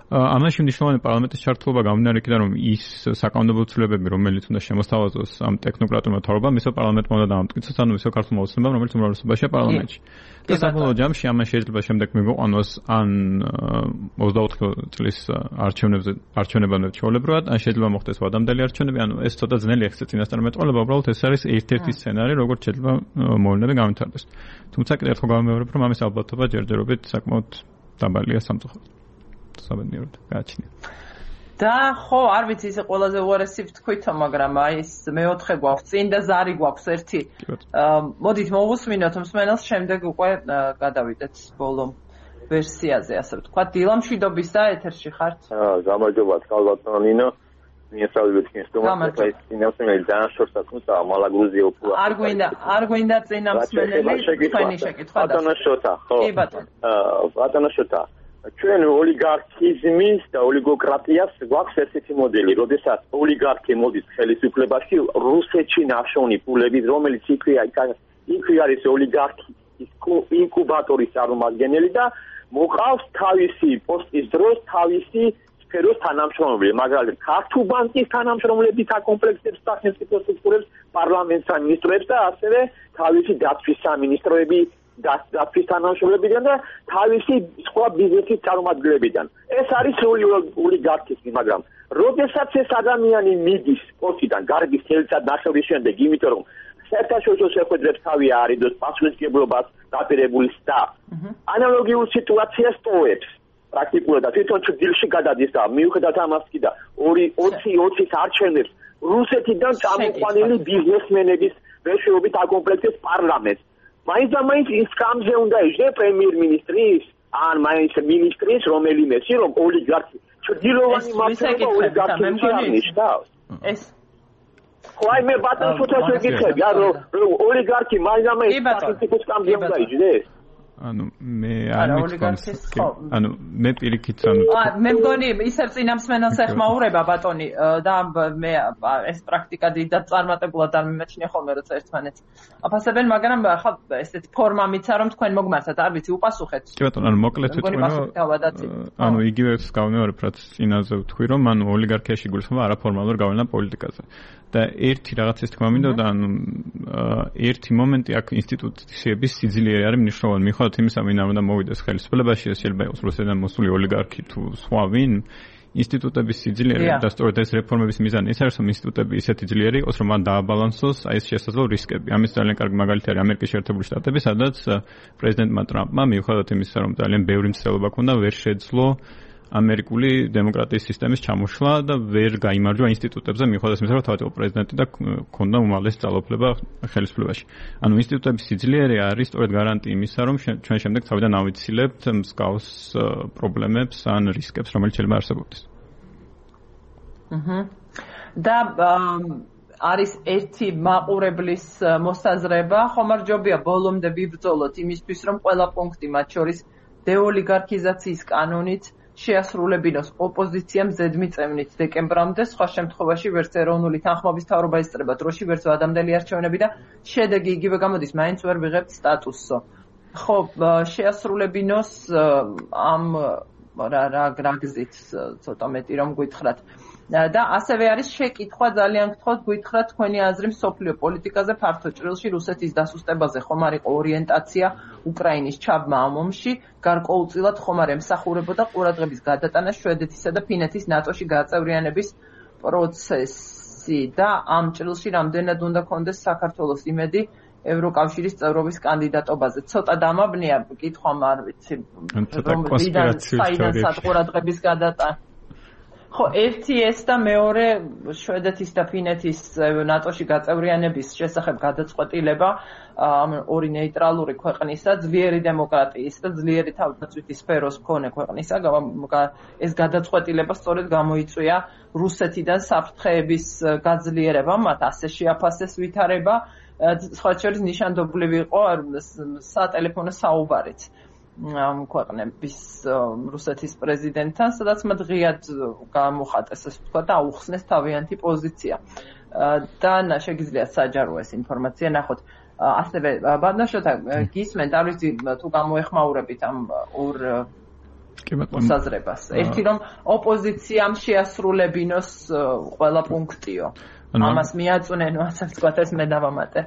ამაში მნიშვნელოვანი პარლამენტის ჩართულობა გამომდინარე იქიდან რომ ის საკანონმდებლო ცვლილებები რომელიც უნდა შემოსთავაზოს ამ ტექნოკრატულმა მთავრობამ ისო პარლამენტმა უნდა დამტკიცოს ანუ ისო ქართულმა ოცნებამ რომელიც უმრავლესობაშია პარლამენტში და საბოლოო ჯამში ამან შეიძლება შემდეგ მიგვიყვანოს ან ოცდაოთხი წლის არჩევნებზე არჩევნებამდე ჩვეულებრივად ან შეიძლება მოხდეს ვადამდელი არჩევნები ანუ ეს ცოტა ძნელი ახსნა წინასწარმეტყველება უბრალოდ ეს არის ერთ-ერთი სცენარი როგორც შეიძლება მოვლენები გამართარდეს თუმცა კიდევ ერთხელ გამიმეორებ რომ ამის ალბათობა ჯერჯერობით საკმაოდ დაბალია სამწუხაროდ საბედნიეროდ გააჩნია და ხო არ ვიცი ისე ყველაზე უარესი ვთქვითო მაგრამ აი ეს მეოთხე გვაქვს წინ და ზარი გვაქვს ერთი მოდით მოვუსმინოთ მსმენელს შემდეგ უკვე გადავიდეთ ბოლო ვერსიაზე ასე ვთქვათ დილა მშვიდობის და ეთერში ხართ გამარჯობა თქალბატონო ნინო მიესალმებით კენსტომას ეს წინამსმენელი ძალიან შორტად თუმცა მალა გრუზია უფრო არ გვინდა არ გვინდა წინამსმენელი თქვენი შეკითხვა ბატონო შოთა ხო კი ბატონო ბატონო შოთა ჩვენ ოლიგარქიზმის და ოლიგოკრატიას გვაქვს ესეთი მოდელი, როდესაც ოლიგარქი მოდის ხელისუფლებაში, რუსეთში ნაშოვნი ფულები, რომელიც იქვე იქვე არის ოლიგარქის ინკუბატორის წარმომადგენელი და მოყავს თავისი პოსტის დროს თავისი სფეროს თანამშრომლები, მაგალითად, ქართულ ბანკის თანამშრომლები საკომპლექტებს სახელმწიფო სტრუქტურებს, პარლამენტს და მინისტრებს და ასევე თავისი დაცვის სამინისტროები დაცვის თანამშრომლებიდან და თავისი სხვა ბიზნესის წარმომადგენლებიდან. ეს არის ოლიგარქიზმი, მაგრამ როდესაც ეს ადამიანი მიდის პოსტიდან, გარგის თელცად ნახევრის შემდეგ, იმიტომ რომ საერთაშორისო შეხვედრებს თავი არიდოს პასუხისმგებლობას დაპირებული და ანალოგიურ სიტუაციას ტოვებს. პრაქტიკულად და თვითონ ჭდილში გადადის და მიუხედავად ამასკი და ოცი ოცის არჩევნებს რუსეთიდან წამოყვანილი ბიზნესმენების მეშვეობით აკომპლექტებს პარლამენტს. მაინც და მაინც ის კამზე უნდა იჯდე პრემიერ-მინისტრის ან მაინც მინისტრის რომელიმეში რომ ოლიგარქი ჭდილოვანი მართლობა ოლიგარქიზმი აღნიშნავს. ეს ხოაი მე ბატონ შოთას ვეკითხები რომ ოლიგარქი მაინც და მაინც სახელმწიფოს კამზე უნდა იჯდეს. ანუ მე არ მითქვამს ანუ მე პირიქით ანუ მე მგონი ისევ წინამსმენელს ეხმაურება ბატონი და მე ეს პრაქტიკა დიდად წარმატებულად არ მიმაჩნია ხოლმე როცა ერთმანეთს აფასებენ მაგრამ ხა ესეთი ფორმა მიცა რომ თქვენ მოგმართათ არ ვიცი უპასუხეთ კი ბატონო ანუ მოკლედ ვიტყვი რომ ანუ იგივე გავიმეორებ რაც წინაზე ვთქვი რომ ანუ ოლიგარქიაში გულისხმობა არაფორმალურ გავლენა პოლიტიკაზე და ერთი რაღაცის თქმა მინდა და ანუ ერთი მომენტი აქ ინსტიტუციების სიძლიერე არის მნიშვნელოვანი მიუხედავად იმისა ვინ არ უნდა მოვიდეს ხელისუფლებაში ეს შეიძლება იყოს რუსეთიდან მოსული ოლიგარქი თუ სხვა ვინ ინსტიტუტების სიძლიერე და სწორედ ეს რეფორმების მიზანი ის არის რომ ინსტიტუტები ისეთი ძლიერი იყოს რომ მან დააბალანსოს აი ეს შესაძლო რისკები ამის ძალიან კარგი მაგალითი არის ამერიკის შეერთებული შტატები სადაც პრეზიდენტმა ტრამპმა მიუხედავად იმისა რომ ძალიან ბევრი მცდელობა ჰქონდა ვერ შეძლო ამერიკული დემოკრატიის სისტემის ჩამოშლა და ვერ გაიმარჯვა ინსტიტუტებზე მიუხედავად იმისა რომ თავად იყო პრეზიდენტი და ჰქონდა უმაღლესი ძალაუფლება ხელისუფლებაში. ანუ ინსტიტუტების სიძლიერე არის სწორედ გარანტია იმისა რომ ჩვენ შემდეგ თავიდან ავიცილებთ მსგავს პრობლემებს ან რისკებს რომელიც შეიძლება არსებობდეს. აჰა. და არის ერთი მაყურებლის მოსაზრება, ხომარჯობია ბოლომდე ვიბრძოლოთ იმისთვის რომ ყველა პუნქტი მათ შორის დეოლიგარქიზაციის კანონით შეასრულებინოს ოპოზიციამ ზედმიწევნით დეკემბრამდე, სხვა შემთხვევაში ვერც ეროვნული თანხმობის მთავრობა ესწრება დროში, ვერც ვადამდელი არჩევნები და შედეგი იგივე გამოდის, მაინც ვერ ვიღებთ სტატუსო. ხო, შეასრულებინოს ამ რა რა გზით ცოტა მეტი რომ გითხრათ. და ასევე არის შეკითხვა ძალიან გთხოვთ გითხრათ თქვენი აზრი მსოფლიო პოლიტიკაზე ფართო ჭრილში რუსეთის დასუსტებაზე ხომ არ იყო ორიენტაცია უკრაინის ჩაბმა ამ ომში გარკვეულწილად ხომ არ ემსახურებოდა ყურადღების გადატანა შვედეთისა და ფინეთის ნატოში გაწევრიანების პროცესი და ამ ჭრილში რამდენად უნდა კონდეს საქართველოს იმედი ევროკავშირის წევრობის კანდიდატობაზე. ცოტა დამაბნია კითხვა, არ ვიცი, რომ საიდანაც ყურადღების გადატანა. ხო, ერთი ეს და მეორე შვედეთის და ფინეთის ნატოში გაწევრიანების შესახებ გადაწყვეტილება ამ ორი ნეიტრალური ქვეყნისა, ძლიერი დემოკრატიის და ძლიერი თავდაცვითი სფეროს მქონე ქვეყნისა, ეს გადაწყვეტილება სწორედ გამოიწვია რუსეთიდან საფრთხეების გაძლიერება, მათ ასე შეაფასეს ვითარება, სხვა შორის ნიშანდობლივი იყო სატელეფონო საუბარიც ამ ქვეყნების რუსეთის პრეზიდენტთან, სადაც მათ ღიად გამოხატეს, ასე ვთქვა, და აუხსნეს თავიანთი პოზიცია. და შეგიძლიათ საჯარო ეს ინფორმაცია ნახოთ. ასევე ბადნაშოთა გისმენთ, არ ვიცი თუ გამოეხმაურებით ამ ორ მოსაზრებას. ერთი რომ ოპოზიციამ შეასრულებინოს ყველა პუნქტიო. ამას მიაწვნენ, ასე ვთქვათ, ეს მე დავამატე.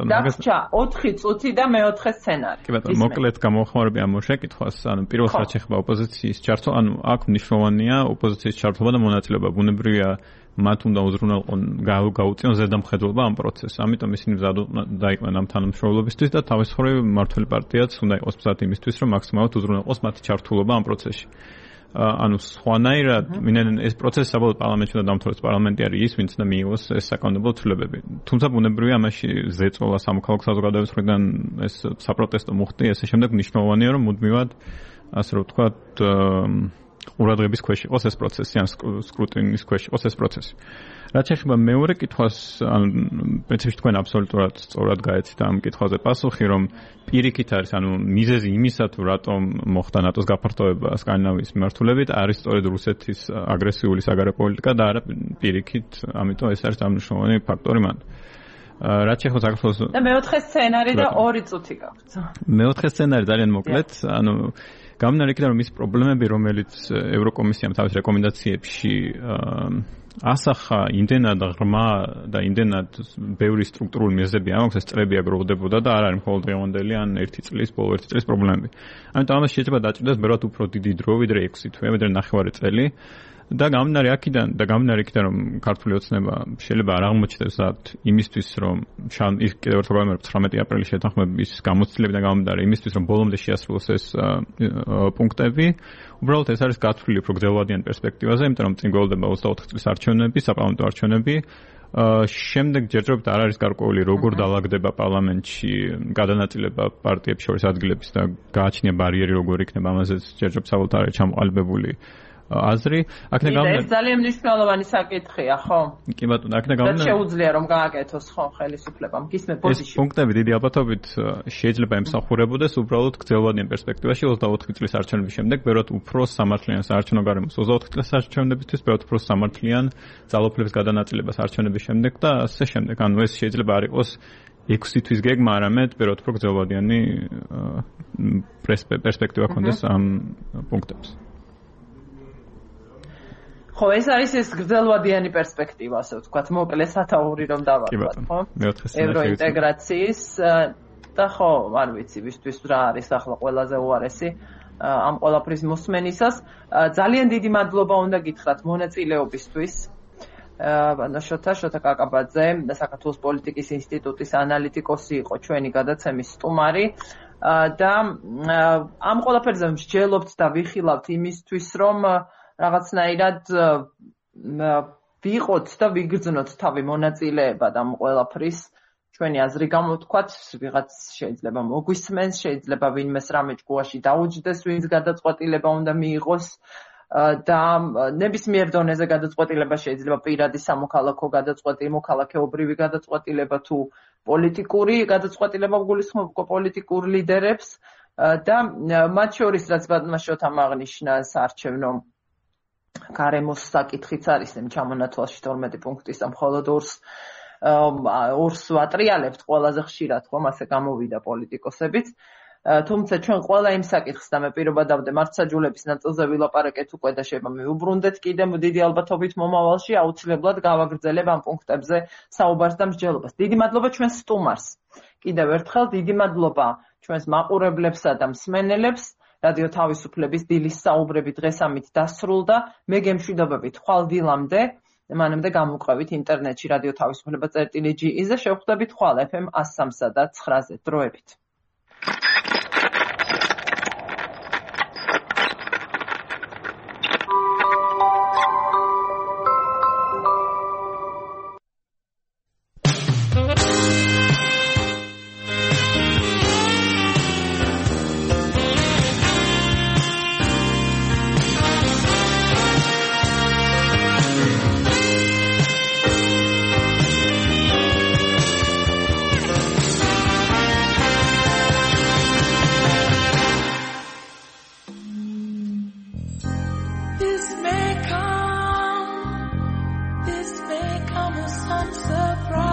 დაგჭა ოთხი წუთი და მეოთხე სცენარი. კი ბატონო, მოკლედ გამოხმაურები ამ შეკითხვას, ანუ პირველ რაც ეხება ოპოზიციის ჩართვა, ანუ აქ მნიშვნელოვანია ოპოზიციის ჩართვა და მონაწილეობა. ბუნებრივია, მათ უნდა უზრუნველყონ გაუწიონ ზედამხედველობა ამ პროცესს. ამიტომ ისინი დაიყვნენ ამ თანამშრომლობისთვის და თავის მხრივ მმართველი პარტიაც უნდა იყოს მზად იმისთვის, რომ მაქსიმალურად უზრუნველყოს მათი ჩართულობა ამ პროცესში. ანუ სხვანაირად მინენ ეს პროცესი საბოლოოდ პარლამენტში უნდა დამთავრდეს, პარლამენტი არის ის, ვინც უნდა მიიღოს ეს საკანონმდებლო ცვლილებები. თუმცა ბუნებრივია ამაში ზეწოლა სამოქალაქო საზოგადოების მხრიდან ეს საპროტესტო მუხტი, ესე შემდეგ მნიშვნელოვანია, რომ მუდმივად ასე რომ ვთქვათ ყურადღების ქვეშ იყოს ეს პროცესი, ან სკრუტინის ქვეშ იყოს ეს პროცესი. რაც შეეხება მეორე კითხვას, ანუ პრინციპში თქვენ აბსოლუტურად სწორად გაეცით ამ კითხვაზე პასუხი, რომ პირიქით არის, ანუ მიზეზი იმისა, თუ რატომ მოხდა ნატოს გაფართოება სკანდინავიის მიმართულებით, არის სწორედ რუსეთის აგრესიული საგარეო პოლიტიკა და არა პირიქით, ამიტომ ეს არის მნიშვნელოვანი ფაქტორი მან. რაც შეეხება საქართველოს და მეოთხე სცენარი და ორი წუთი გაქვთ. მეოთხე სცენარი ძალიან მოკლედ, ანუ გამომდინარე იქიდან, რომ ის პრობლემები, რომელიც ევროკომისიამ თავის რეკომენდაციებში ასახა, იმდენად ღრმა და იმდენად ბევრი სტრუქტურული მიზეზები ამაქვს, ეს წლები აგროვდებოდა და არ არის მხოლოდ დღევანდელი ან ერთი წლის, ბოლო ერთი წლის პრობლემები. ამიტომ ამას შეიძლება დაჭირდეს ბევრად უფრო დიდი დრო, ვიდრე ექვსი თვე, ვიდრე ნახევარი წელი. და გამდინარე აქიდან და გამდინარე იქიდან, რომ ქართული ოცნება შეიძლება არ აღმოჩნდეს იმისთვის, რომ ის კიდევ ერთხელ გამარჯვება ცხრამეტი აპრილის შეთანხმების გამოცდილებიდან გამომდინარე იმისთვის, რომ ბოლომდე შეასრულოს ეს პუნქტები, უბრალოდ ეს არის გათვლილი უფრო გრძელვადიან პერსპექტივაზე, იმიტომ რომ წინ გველდება ოცდაოთხი წლის არჩევნები, საპარლამენტო არჩევნები. შემდეგ ჯერჯერობით არ არის გარკვეული როგორ დაალაგდება პარლამენტში გადანაწილება პარტიებს შორის ადგილების და გააჩნია ბარიერი როგორ იქნება, ამაზეც ჯერჯერობით საბოლოოდ არის ჩამოყალიბებული აზრი. აქედან გამომდინარე ეს ძალიან მნიშვნელოვანი საკითხია, ხო? კი ბატონო, აქედან გამომდინარე და შეუძლია რომ გააკეთოს ხო ხელისუფლებამ. გისმენთ პოზიციაში. ეს პუნქტები დიდი ალბათობით შეიძლება ემსახურებოდეს უბრალოდ გრძელვადიან პერსპექტივაში ოცდაოთხი წლის არჩევნების შემდეგ, ბევრად უფრო სამართლიან საარჩევნო გარემოს ოცდაოთხი წლის არჩევნებისთვის, ბევრად უფრო სამართლიან ძალაუფლების გადანაწილებას არჩევნების შემდეგ და ასე შემდეგ. ანუ ეს შეიძლება არ იყოს ექვსი თვის გეგმა, არამედ ბევრად უფრო გრძელვადიანი პერსპექტივა ქონდეს ამ პუნქტებს. ხო, ეს არის ეს გრძელვადიანი პერსპექტივა, ასე ვთქვათ, მოკლე სათაური რომ დავაკვირდეთ, ხო? ევროინტეგრაციის და ხო, არ ვიცი, ვისთვის რა არის ახლა ყველაზე უარესი ამ ყველაფრის მოსმენისას. ძალიან დიდი მადლობა უნდა გითხრათ მონაწილეობისთვის. ბანაშოთა შოთა კაკაბაძე და საქართველოს პოლიტიკის ინსტიტუტის ანალიტიკოსი იყო ჩვენი გადაცემის სტუმარი და ამ ყველაფერზე მსჯელობთ და ვიხილავთ იმისთვის, რომ რაღაცნაირად ვიყოთ და ვიგრძნოთ თავი მონაწილეებად ამ ყველაფრის ჩვენი აზრი გამოთქვათ, ვიღაც შეიძლება მოგვისმენს, შეიძლება ვინმეს რამე ჭკუაში დაუჯდეს, ვინც გადაწყვეტილება უნდა მიიღოს და ნებისმიერ დონეზე გადაწყვეტილება შეიძლება პირადი სამოქალაქო გადაწყვეტილება, მოქალაქეობრივი გადაწყვეტილება თუ პოლიტიკური გადაწყვეტილება გულისხმობ პოლიტიკურ ლიდერებს და მათ შორის რაც ბატონაშოთამ აღნიშნა საარჩევნო გარემოს საკითხიც არის, იმ ჩამონათვალში თორმეტი პუნქტის და მხოლოდ ორს ორს ვატრიალებთ ყველაზე ხშირად, ხომ ასე გამოვიდა პოლიტიკოსებიც. თუმცა ჩვენ ყველა იმ საკითხს და მე პირობა დავდე მართლმსაჯულების ნაწილზე ვილაპარაკეთ უკვე და შეიძლება მივუბრუნდეთ კიდევ დიდი ალბათობით მომავალში აუცილებლად გავაგრძელებ ამ პუნქტებზე საუბარს და მსჯელობას. დიდი მადლობა ჩვენს სტუმარს. კიდევ ერთხელ დიდი მადლობა ჩვენს მაყურებლებსა და მსმენელებს. რადიო თავისუფლების დილის საუბრები დღეს ამით დასრულდა. მე გემშვიდობებით ხვალ დილამდე. მანამდე გამოვყევით ინტერნეტში რადიო თავისუფლება წერტილი ჯი-ზე შევხვდებით ხვალ ეფ ემ one oh three და nine-ზე დროებით. This may come as some surprise.